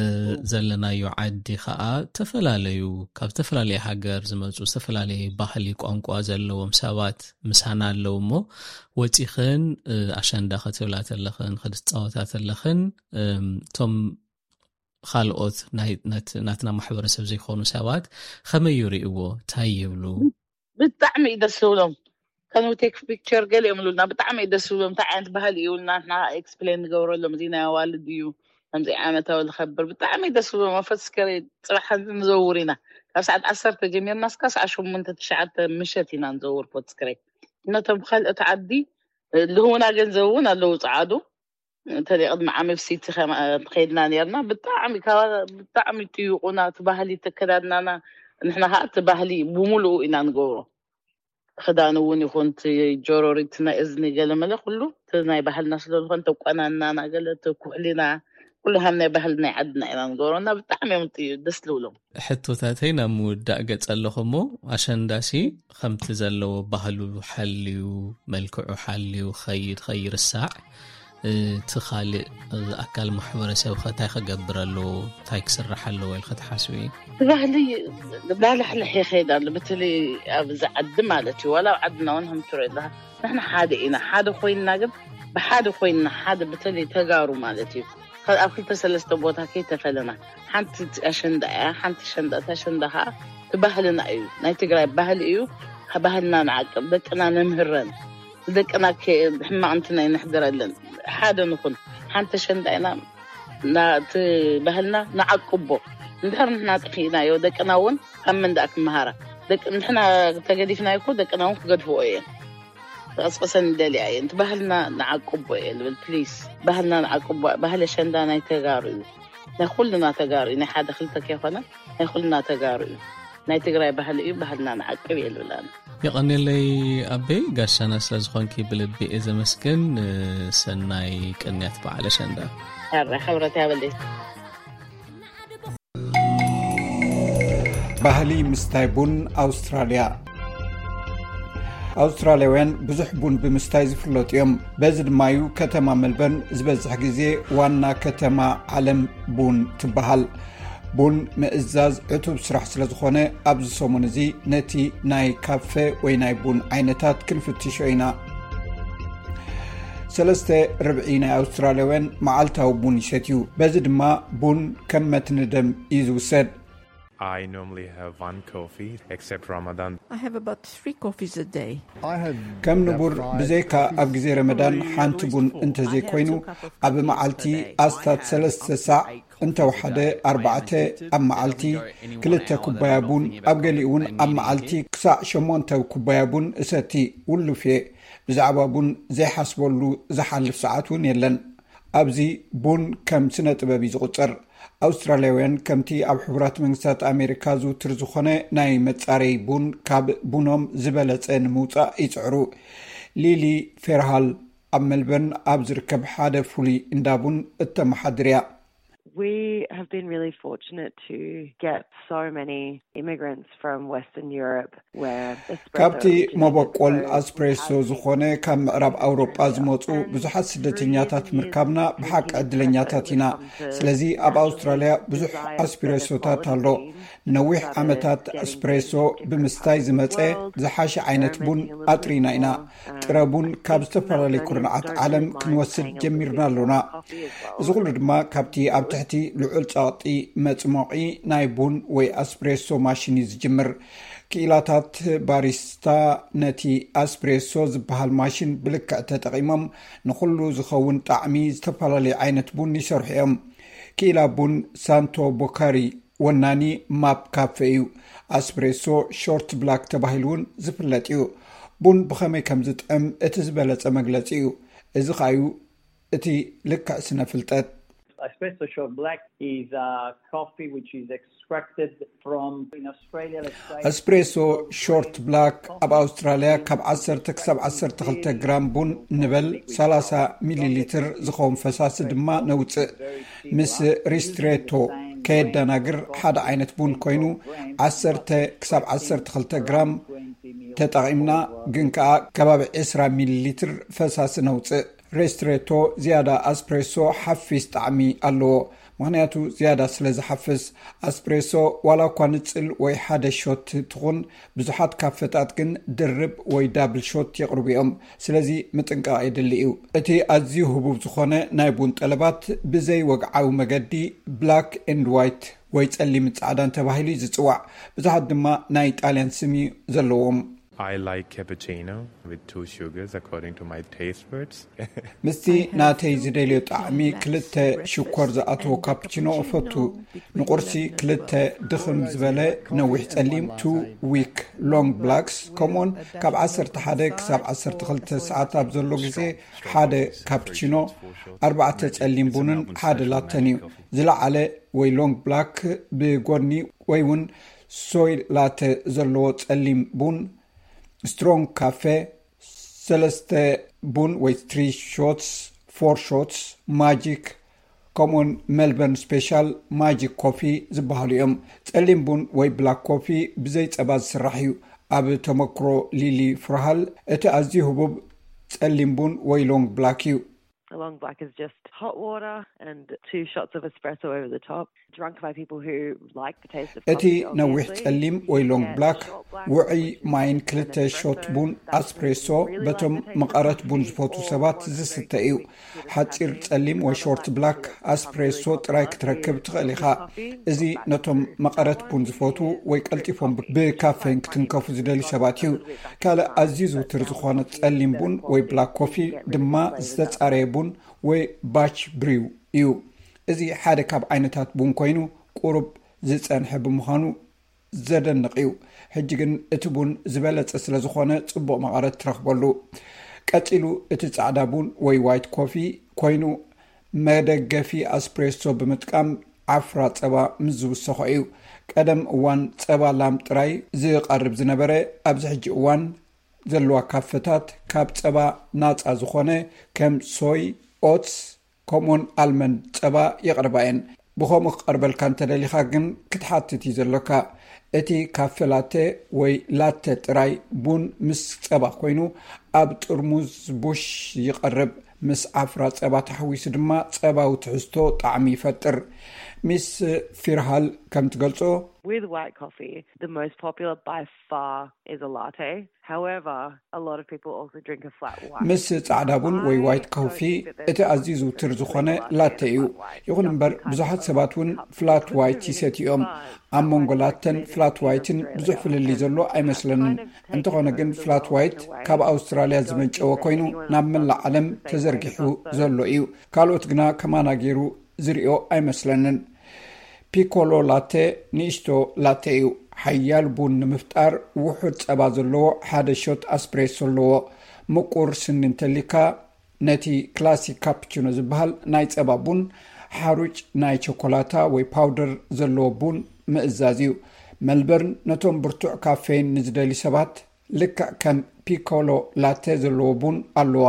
ዘለናዮ ዓዲ ኸዓ ተፈላለዩ፣ ካብ ዝተፈላለየ ሃገር ዝመፁ ዝተፈላለየ ባህሊ፣ ቋንቋ ዘለዎም ሰባት ምሳና ኣለዉ እሞ፣ ወፂኽን፣ እ፣ ኣሸንዳ ክትብላ ተለኽን፣ ክትፃወታ ተለኽን፣ እም፣ እቶም ካልኦት ናይ፣ ናት-፣ ናትና ማሕበረሰብ ዘይኮኑ ሰባት ከመይ ይርእይዎ? እንታይ ይብሉ? ብጣዕሚ እዩ ደስ ዝብሎም። ከን ቴክ ፒክቸር ገለ እዮም ይብሉና። ብጣዕሚ እዩ ደስ ዝብሎም። እንታይ ዓይነት ባህሊ እዩ ኢልና ንሕና ኤክስፕሌን ንገብረሎም። እዚ ናይ ኣዋልድ እዩ፣ ከምዚ ዓመታዊ ዝኸብር። ብጣዕሚ እዩ ደስ ዝብሎም። ኣብ ፎርት ስክሬ ጽባሕ ንዘውር ኢና። ካብ ሰዓት ዓሰርተ ጀሚርና እስካብ ሰዓት ሸሞንተ ትሽዓተ ምሸት ኢና ንዘውር ፎርት ስክሬ። ነቶም ካልኦት ዓዲ ልህቡና ገንዘብ እውን ኣለዉ ጸዓዱ። እንተ ቅድሚ ዓሚ ኣብ ሲቲ ከማ-፣ ከይድና ነርና። ብጣዕሚ ካባ-፣ ብጣዕሚ ትይቁና፣ እቲ ባህሊ፣ እቲ ኣከዳድናና። ንሕና ከዓ እቲ ባህሊ ብምሉኡ ኢና ንገብሮ። ክዳን እውን ይኹን፣ እቲ ጆሮሪት፣ ናይ እዝኒ፣ ገለመለ ኩሉ እቲ ናይ ባህልና ስለ ዝኾነ፣ እቲ ኣቋናንናና፣ ገለ እቲ ኩሕሊና፣ ኩሉ ሃም ናይ ባህሊ ናይ ዓድና ኢና ንገብሮ። እና ብጣዕሚ እዮም እቲ ደስ ዝብሎም። ሕቶታተይ ናብ ምውዳእ ገጸ ኣለኹ እሞ፣ ኣሸንዳሲ ከምቲ ዘለዎ ባህሉ ሓልዩ፣ መልክዑ ሓልዩ ኸይድ፣ ኸይርሳዕ፣ እቲ ኻልእ ኣካል ማሕበረሰብ ኸ እንታይ ኸገብር ኣለዎ? እንታይ ክስራሕ ኣለዎ ኢልኺ ትሓስቢ? እቲ ባህሊ ላሕላሕ ይኸይድ ኣሎ፣ በተለይ ኣብዚ ዓዲ ማለት እዩ። ዋላ ኣብ ዓድና እውን ከም ትሪኦ ኣለኻ፣ ንሕና ሓደ ኢና። ሓደ ኮይንና ግን፣ ብሓደ ኮይንና፣ ሓደ በተለይ ተጋሩ ማለት እዩ፣ ካብ ኣብ ክልተ ሰለስተ ቦታ ከይተፈለና፣ ሓንቲ ኣሸንዳ እያ፣ ሓንቲ ኣሸንዳ፣ እታ ኣሸንዳ ኸዓ እቲ ባህልና እዩ፣ ናይ ትግራይ ባህሊ እዩ። ባህልና ንዓቅብ፣ ደቅና ነምህረን፣ ደቅና ከ-፣ ሕማቕ እንትን ኣይነሕድረለን። ሓደ ንኹን፣ ሓንቲ ኣሸንዳ ኢና፣ ና-፣ እቲ ባህልና ንዓቅቦ። እንድሕር ንሕና ጠፊእናዮ፣ ደቅና እውን ካብ መን ደኣ ክመሃራ? ደቂ-፣ ንሕና ተገዲፍናዮ እኮ፣ ደቅና እውን ክገድፍዎ እየን። ክቕስቅሰን ይደልያ እየን። እቲ ባህልና ንዓቅቦ እየ ልብል፣ ፕሊስ። ባህልና ንዓቅቦ። ባህሊ ኣሸንዳ ናይ ተጋሩ እዩ። ናይ ኩልና ተጋሩ እዩ። ናይ ሓደ ክልተ ከይኮነ፣ ናይ ኩልና ተጋሩ እዩ። ናይ ትግራይ ባህሊ እዩ። ባህልና ንዓቅብ እየ ልብል ኣነ። የቐንየለይ ኣበይ፣ ጋሻና ስለ ዝኾንኪ ብልቢ እየ ዘመስግን። ሰናይ ቅንያት በዓል ኣሸንዳ። ሕረ፣ ሕብረት ያበለይ። ባህሊ ምስታይ ቡን ኣውስትራልያ። ኣውስትራልያውያን ብዙሕ ቡን ብምስታይ ዝፍለጡ እዮም። በዚ ድማ እዩ ከተማ መልበርን ዝበዝሕ ግዜ ዋና ከተማ ዓለም ቡን ትበሃል። ቡን ምእዛዝ ዕቱብ ስራሕ ስለ ዝኾነ፣ ኣብዚ ሰሙን እዚ ነቲ ናይ ካፈ ወይ ናይ ቡን ዓይነታት ክንፍትሾ ኢና። ሰለስተ ርብዒ ናይ ኣውስትራልያውያን መዓልታዊ ቡን ይሰትዩ። በዚ ድማ ቡን ከም መትኒ ደም እዩ ዝውሰድ። I normally have one coffee, except Ramadan. I have about three coffees a day. ከም ንቡር፣ ብዘይካ ኣብ ግዜ ረመዳን ሓንቲ ቡን እንተዘይኮይኑ፣ ኣብ መዓልቲ ኣስታት ሰለስተ ሳዕ፣ እንተወሓደ ኣርባዕተ ኣብ መዓልቲ፣ ክልተ ኩባያ ቡን፣ ኣብ ገሊኡ እውን ኣብ መዓልቲ ክሳዕ ሸሞንተ ኩባያ ቡን እሰቲ። ውሉፍ እየ። ብዛዕባ ቡን ዘይሓስበሉ ዝሓልፍ ሰዓት እውን የለን። ኣብዚ ቡን ከም ስነ ጥበብ እዩ ዝቑጸር። ኣውስትራልያውያን ከምቲ ኣብ ሕቡራት መንግስታት ኣሜሪካ ዝውትር ዝኾነ ናይ መጻረዪ ቡን ካብ ቡኖም ዝበለጸ ንምውጻእ ይጽዕሩ። ሊሊ ፌርሃል ኣብ መልበርን ኣብ ዝርከብ ሓደ ፍሉይ እንዳ ቡን እተመሓድር እያ። We have been really fortunate to get so many immigrants from Western Europe where espresso ካብቲ originated መበቆል so ኣስፕሬሶ we have ዝኾነ ካብ ምዕራብ ኣውሮጳ ዝመፁ ብዙሓት ስደተኛታት ምርካብና ብሓቂ ዕድለኛታት ኢና። ስለዚ ኣብ ኣውስትራልያ ብዙሕ ኣስፕሬሶታት ኣሎ። ነዊሕ ዓመታት ኣስፕሬሶ ብምስታይ ዝመፀ ዝሓሸ ዓይነት ቡን ኣጥሪና ኢና። ጥረ ቡን ካብ ዝተፈላለዩ ኩርናዓት ዓለም ክንወስድ ጀሚርና ኣሎና። እዚ ኩሉ ድማ ካብቲ ኣብ ትሕቲ ልዑል ጸቕጢ መጽሞቒ ናይ ቡን ወይ ኣስፕሬሶ ማሽን እዩ ዝጅምር። ክኢላታት ባሪስታ ነቲ ኣስፕሬሶ ዝበሃል ማሽን ብልክዕ ተጠቒሞም ንኹሉ ዝኸውን ጣዕሚ ዝተፈላለዩ ዓይነት ቡን ይሰርሑ እዮም። ክኢላ ቡን ሳንቶ ቦካሪ ወናኒ ማፕ ካፌ እዩ። ኣስፕሬሶ ሾርት ብላክ ተባሂሉ እውን ዝፍለጥ እዩ። ቡን ብኸመይ ከም ዝጥዕም እቲ ዝበለጸ መግለጺ እዩ። እዚ ኸኣ እዩ እቲ ልክዕ ስነ ፍልጠት። Espresso short black is a coffee which is extracted from in Australia, let's say. ኣስፕሬሶ ሾርት ብላክ ኣብ ኣውስትራልያ ካብ ዓሰርተ ክሳብ ዓሰርተ ክልተ ግራም ቡን ንበል ሰላሳ ሚሊ ሊትር ዝኸውን ፈሳሲ ድማ ነውፅእ። ምስ ሪስትሬቶ ከየደናግር ሓደ ዓይነት ቡን ኮይኑ ዓሰርተ ክሳብ ዓሰርተ ክልተ ግራም ተጠቒምና፣ ግን ከኣ ከባቢ ዕስራ ሚሊ ሊትር ፈሳሲ ነውፅእ። ሬስትሬቶ ዝያዳ ኣስፕሬሶ ሓፊስ ጣዕሚ ኣለዎ። ምኽንያቱ ዝያዳ ስለ ዝሓፍስ። ኣስፕሬሶ ዋላ እኳ ንጽል ወይ ሓደ ሾት ትኹን፣ ብዙሓት ካፈታት ግን ድርብ ወይ ዳብል ሾት የቕርቡ እዮም። ስለዚ ምጥንቃቕ የድሊ እዩ። እቲ ኣዝዩ ህቡብ ዝኾነ ናይ ቡን ጠለባት ብዘይ ወግዓዊ መገዲ ብላክ ኤንድ ዋይት ወይ ጸሊም ጻዕዳን ተባሂሉ እዩ ዝጽዋዕ። ብዙሓት ድማ ናይ ጣልያን ስም እዩ ዘለዎም። I like cappuccino with two sugars according to my taste buds. ምስቲ ናተይ ዝደልዮ ጣዕሚ ክልተ ሽኮር ዝኣተዎ ካፕቺኖ እፈቱ። ንቁርሲ ክልተ ድኽም ዝበለ ነዊሕ ጸሊም ቱ ዊክ ሎንግ ብላክስ፣ ከምኡውን ካብ ዓሰርተ ሓደ ክሳብ ዓሰርተ ክልተ ሰዓት ኣብ ዘሎ ግዜ ሓደ ካፕቺኖ፣ ኣርባዕተ ጸሊም ቡንን ሓደ ላተን እዩ። ዝለዓለ ወይ ሎንግ ብላክ ብጎድኒ ወይ እውን ሶይ ላተ ዘለዎ ጸሊም ቡን፣ ስትሮንግ ካፌ፣ ሰለስተ ቡን ወይ ትሪ ሾትስ፣ ፎር ሾትስ፣ ማጂክ፣ ከምኡውን ሜልበርን ስፔሻል ማጂክ ኮፊ ዝበሃሉ እዮም። ጸሊም ቡን ወይ ብላክ ኮፊ ብዘይ ጸባ ዝስራሕ እዩ። ኣብ ተመክሮ ሊሊ ፍርሃል፣ እቲ ኣዝዩ ህቡብ ጸሊም ቡን ወይ ሎንግ ብላክ እዩ። A long black is just hot water and two shots of espresso over the top, drunk by people who like the taste of እቲ coffee, ነዊሕ obviously. ጸሊም ወይ ሎንግ ብላክ ውዑይ ማይን ክልተ ሾት ቡን ኣስፕሬሶ በቶም መቐረት ቡን ዝፈቱ ሰባት ዝስተ እዩ። ሓጺር ጸሊም ወይ ሾርት ብላክ ኣስፕሬሶ ጥራይ ክትረክብ ትኽእል ኢኻ። እዚ ነቶም መቐረት ቡን ዝፈቱ ወይ ቀልጢፎም ብካፌን ክትንከፉ ዝደልዩ ሰባት እዩ። ካልእ ኣዝዩ ዝውትር ዝኾነ ጸሊም ቡን ወይ ብላክ ኮፊ ድማ ዝተጻረየ ቡን ወይ ባች ብሪው እዩ። እዚ ሓደ ካብ ዓይነታት ቡን ኮይኑ ቁሩብ ዝጸንሐ ብምዃኑ ዘደንቕ እዩ። ሕጂ ግን እቲ ቡን ዝበለጸ ስለ ዝኾነ ጽቡቕ መቐረት ትረኽበሉ። ቀጺሉ እቲ ጻዕዳ ቡን ወይ ዋይት ኮፊ ኮይኑ መደገፊ ኣስፕሬሶ ብምጥቃም ዓፍራ ጸባ ምስ ዝውሰኾ እዩ። ቀደም እዋን ጸባ ላም ጥራይ ዝቐርብ ዝነበረ፣ ኣብዚ ሕጂ እዋን ዘለዋ ካፈታት ካብ ጸባ ናጻ ዝኾነ ከም ሶይ፣ ኦትስ፣ ከምኡውን ኣልመንድ ጸባ የቕርባ እየን። ብኸምኡ ክቐርበልካ እንተደሊኻ ግን ክትሓትት እዩ ዘሎካ። እቲ ካፈ ላተ ወይ ላተ ጥራይ ቡን ምስ ጸባ ኮይኑ ኣብ ጥርሙዝ ቡሽ ይቐርብ። ምስ ዓፍራ ጸባ ተሓዊሱ ድማ ጸባዊ ትሕዝቶ ጣዕሚ ይፈጥር። ሚስ ፊርሃል ከም ትገልጾ፣ With white coffee, the most popular by far is a latte. However, a lot of people also drink a flat white. ምስ ጻዕዳ ቡን ወይ ዋይት ኮፊ እቲ ኣዝዩ ዝውትር ዝኾነ ላተ እዩ። ይኹን እምበር ብዙሓት ሰባት እውን ፍላት ዋይት ይሰትዩ እዮም። ኣብ መንጎ ላተን ፍላት ዋይትን ብዙሕ ፍልልይ ዘሎ ኣይመስለንን። እንተኾነ ግን ፍላት ዋይት ካብ ኣውስትራልያ ዝመንጨወ ኮይኑ ናብ መላእ ዓለም ተዘርጊሑ ዘሎ እዩ። ካልኦት ግና ከማና ገይሩ ዝሪኦ ኣይመስለንን። ፒኮሎ ላተ ንእሽቶ ላተ እዩ። ሓያል ቡን ንምፍጣር ውሑድ ጸባ ዘለዎ ሓደ ሾት ኣስፕሬሶ ኣለዎ። ምቁር ስኒ እንተሊካ ነቲ ክላሲክ ካፕቺኖ ዝበሃል ናይ ጸባ ቡን ሓሩጭ ናይ ቸኮላታ ወይ ፓውደር ዘለዎ ቡን ምእዛዝ እዩ። መልበርን ነቶም ብርቱዕ ካፌን ንዝደልዩ ሰባት ልክዕ ከም ፒኮሎ ላተ ዘለዎ ቡን ኣለዋ።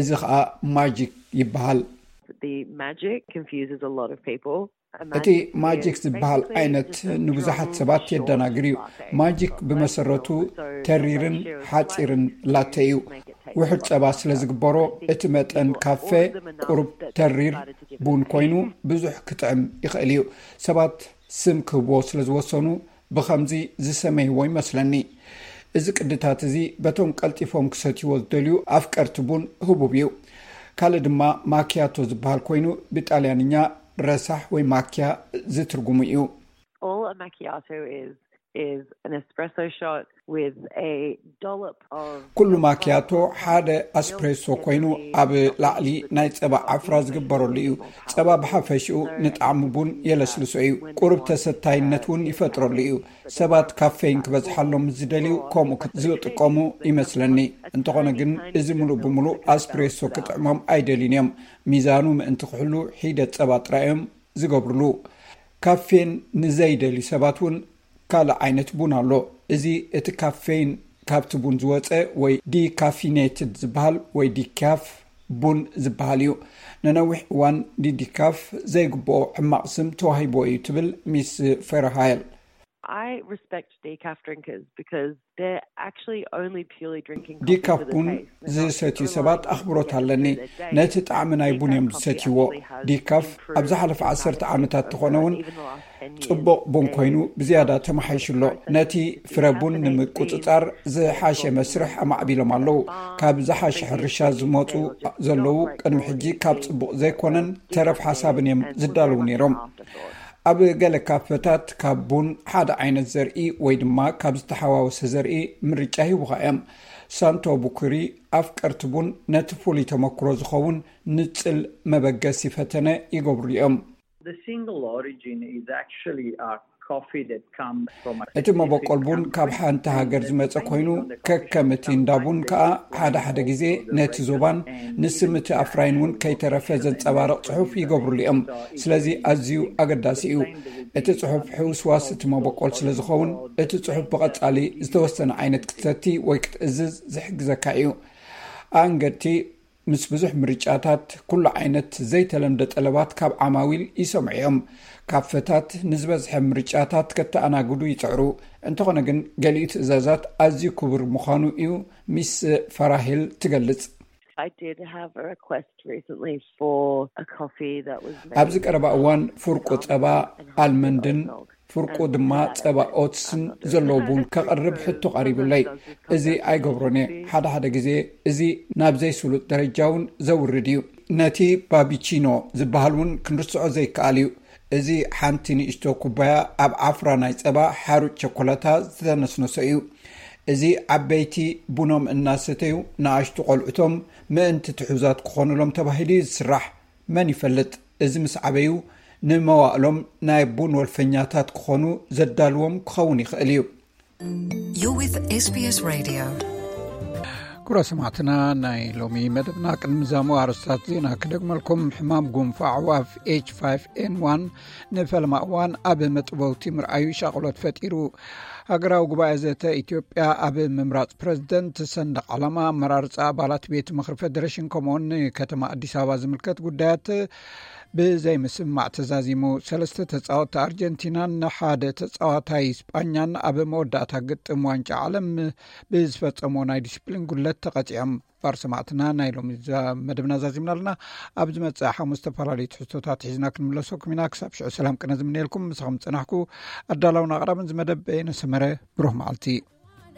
እዚ ኸኣ ማጂክ ይበሃል። The magic confuses a lot of people. እቲ ማጂክ ዝበሃል ዓይነት ንብዙሓት ሰባት የደናግር እዩ። ማጂክ ብመሰረቱ ተሪርን ሓፂርን ላተ እዩ። ውሕድ ጸባ ስለ ዝግበሮ፣ እቲ መጠን ካፌ ቁሩብ ተሪር ቡን ኮይኑ ብዙሕ ክጥዕም ይኽእል እዩ። ሰባት ስም ክህብዎ ስለ ዝወሰኑ፣ ብኸምዚ ዝሰመይዎ ይመስለኒ። እዚ ቅድታት እዚ በቶም ቀልጢፎም ክሰትይዎ ዝደልዩ ኣፍቀርቲ ቡን ህቡብ እዩ። ካልእ ድማ ማኪያቶ ዝበሃል ኮይኑ፣ ብጣልያንኛ ረሳሕ ወይ ማኪያ ዝትርጉሙ እዩ። All a macchiato is is an espresso shot with a dollop of ኩሉ ማኪያቶ ሓደ ኣስፕሬሶ ኮይኑ፣ ኣብ ላዕሊ ናይ ጸባ ዓፍራ ዝግበረሉ እዩ። ጸባ ብሓፈሽኡ ንጣዕሚ ቡን የለስልሶ እዩ። ቁሩብ ተሰታይነት እውን ይፈጥረሉ እዩ። ሰባት ካፌን ክበዝሓሎም ዝደልዩ ከምኡ ዝጥቀሙ ይመስለኒ። እንተኾነ ግን፣ እዚ ምሉእ ብምሉእ ኣስፕሬሶ ክጥዕሞም ኣይደልዩን እዮም። ሚዛኑ ምእንቲ ክሕሉ፣ ሒደት ጸባ ጥራይ እዮም ዝገብርሉ። ካፌን ንዘይደልዩ ሰባት እውን ካልእ ዓይነት ቡን ኣሎ። እዚ እቲ ካፌን ካብቲ ቡን ዝወፀ ወይ ዲካፊኔትድ ዝበሃል ወይ ዲካፍ ቡን ዝበሃል እዩ። ንነዊሕ እዋን ንዲካፍ ዘይግብኦ ሕማቕ ስም ተዋሂቦ እዩ ትብል ሚስ ፌርሃይል። I respect decaf drinkers because they're actually only purely drinking coffee ዲካፍ for the ቡን taste. ዝሰትዩ ሰባት ኣኽብሮት ኣለኒ። ነቲ ጣዕሚ ናይ ቡን እዮም ዝሰትይዎ። ዲካፍ ኣብ ዝሓለፈ ዓሰርተ ዓመታት ተኾነ እውን ጽቡቕ ቡን ኮይኑ ብዝያዳ ተመሓይሹ ኣሎ። ነቲ ፍረ ቡን ንምቁጽጻር ዝሓሸ መስርሕ ኣማዕቢሎም ኣለዉ። ካብ ዝሓሸ ሕርሻ ዝመጹ ዘለዉ፣ ቅድሚ ሕጂ ካብ ጽቡቕ ዘይኮነን ተረፍ ሓሳብን እዮም ዝዳለዉ ነይሮም። ኣብ ገለ ካፈታት ካብ ቡን ሓደ ዓይነት ዘርኢ ወይ ድማ ካብ ዝተሓዋወሰ ዘርኢ ምርጫ ሂቡኻ እዮም። ሳንቶ ቡኩሪ ኣፍቀርቲ ቡን ነቲ ፍሉይ ተመክሮ ዝኸውን ንጽል መበገሲ ፈተነ ይገብሩ እዮም። The single origin is actually a coffee that comes from a እቲ መበቆል ቡን ካብ ሓንቲ ሃገር ዝመጸ ኮይኑ፣ ከከም እቲ እንዳ ቡን ከኣ ሓደ ሓደ ግዜ ነቲ ዞባን ንስም እቲ ኣፍራይን እውን ከይተረፈ ዘንጸባርቕ ጽሑፍ ይገብሩሉ እዮም። ስለዚ ኣዝዩ ኣገዳሲ እዩ። እቲ ጽሑፍ ሕውስዋስ እቲ መበቆል ስለ ዝኸውን፣ እቲ ጽሑፍ ብቐጻሊ ዝተወሰነ ዓይነት ክትሰቲ ወይ ክትእዝዝ ዝሕግዘካ እዩ። ኣንገድቲ ምስ ብዙሕ ምርጫታት፣ ኩሉ ዓይነት ዘይተለምደ ጠለባት ካብ ዓማዊል ይሰምዑ እዮም። ካፈታት ንዝበዝሐ ምርጫታት ከተኣናግዱ ይጽዕሩ። እንተኾነ ግን፣ ገሊኡ ትእዛዛት ኣዝዩ ክቡር ምዃኑ እዩ ሚስ ፈራሂል ትገልጽ። I did have a request recently for a coffee that was made ኣብዚ ቀረባ እዋን ፍርቁ ጸባ ኣልመንድን ፍርቁ ድማ ጸባ ኦትስን ዘለዎ ቡን ከቕርብ ሕቶ ቀሪቡለይ። እዚ ኣይገብሮን እየ። ሓደ ሓደ ግዜ እዚ ናብ ዘይስሉጥ ደረጃ እውን ዘውርድ እዩ። ነቲ ባቢቺኖ ዝበሃል እውን ክንርስዖ ዘይከኣል እዩ። እዚ ሓንቲ ንእሽቶ ኩባያ ኣብ ዓፍራ ናይ ጸባ ሓሩጭ ቸኮላታ ዝተነስነሶ እዩ። እዚ ዓበይቲ ቡኖም እናሰተዩ ንኣሽቱ ቆልዑቶም ምእንቲ ትሑዛት ክኾኑሎም ተባሂሉ እዩ ዝስራሕ። መን ይፈልጥ፣ እዚ ምስ ዓበዩ ንመዋእሎም ናይ ቡን ወልፈኛታት ክኾኑ ዘዳልዎም ክኸውን ይኽእል እዩ። You're with S B S Radio. ክቡራ ሰማዕትና፣ ናይ ሎሚ መደብና ቅድሚ ዛሙ ኣርስታት ዜና ክደግመልኩም። ሕማም ጉንፋዕ ኣዕዋፍ ኤች ፋይቭ ኤን ዋን ንፈለማ እዋን ኣብ መጥበውቲ ምርኣዩ ሻቕሎት ፈጢሩ። ሃገራዊ ጉባኤ ዘተ ኢትዮጵያ ኣብ ምምራፅ ፕረዚደንት፣ ሰንደቕ ዓላማ፣ ኣመራርፃ ኣባላት ቤት ምኽሪ ፌዴሬሽን ከምኡውን ንከተማ ኣዲስ ኣበባ ዝምልከት ጉዳያት ብዘይምስምማዕ ተዛዚሙ። ሰለስተ ተፃወትቲ ኣርጀንቲናን ሓደ ተፃዋታይ ስጳኛን ኣብ መወዳእታ ግጥም ዋንጫ ዓለም ብዝፈፀሞ ናይ ዲስፕሊን ጉለት ተቐፂዖም። ባር ሰማዕትና፣ ናይ ሎሚ መደብና ዛዚምና ኣለና። ኣብ ዝመፅእ ሓሙስ ዝተፈላለዩ ትሕዝቶታት ሒዝና ክንምለሰኩም ኢና። ክሳብ ሽዑ ሰላም ቅነ ዝምነየልኩም። ምሳኹም ዝፀናሕኩ ኣዳላውን ኣቕራብን ዝመደብ በየነ ሰመረ። ብሩህ መዓልቲ።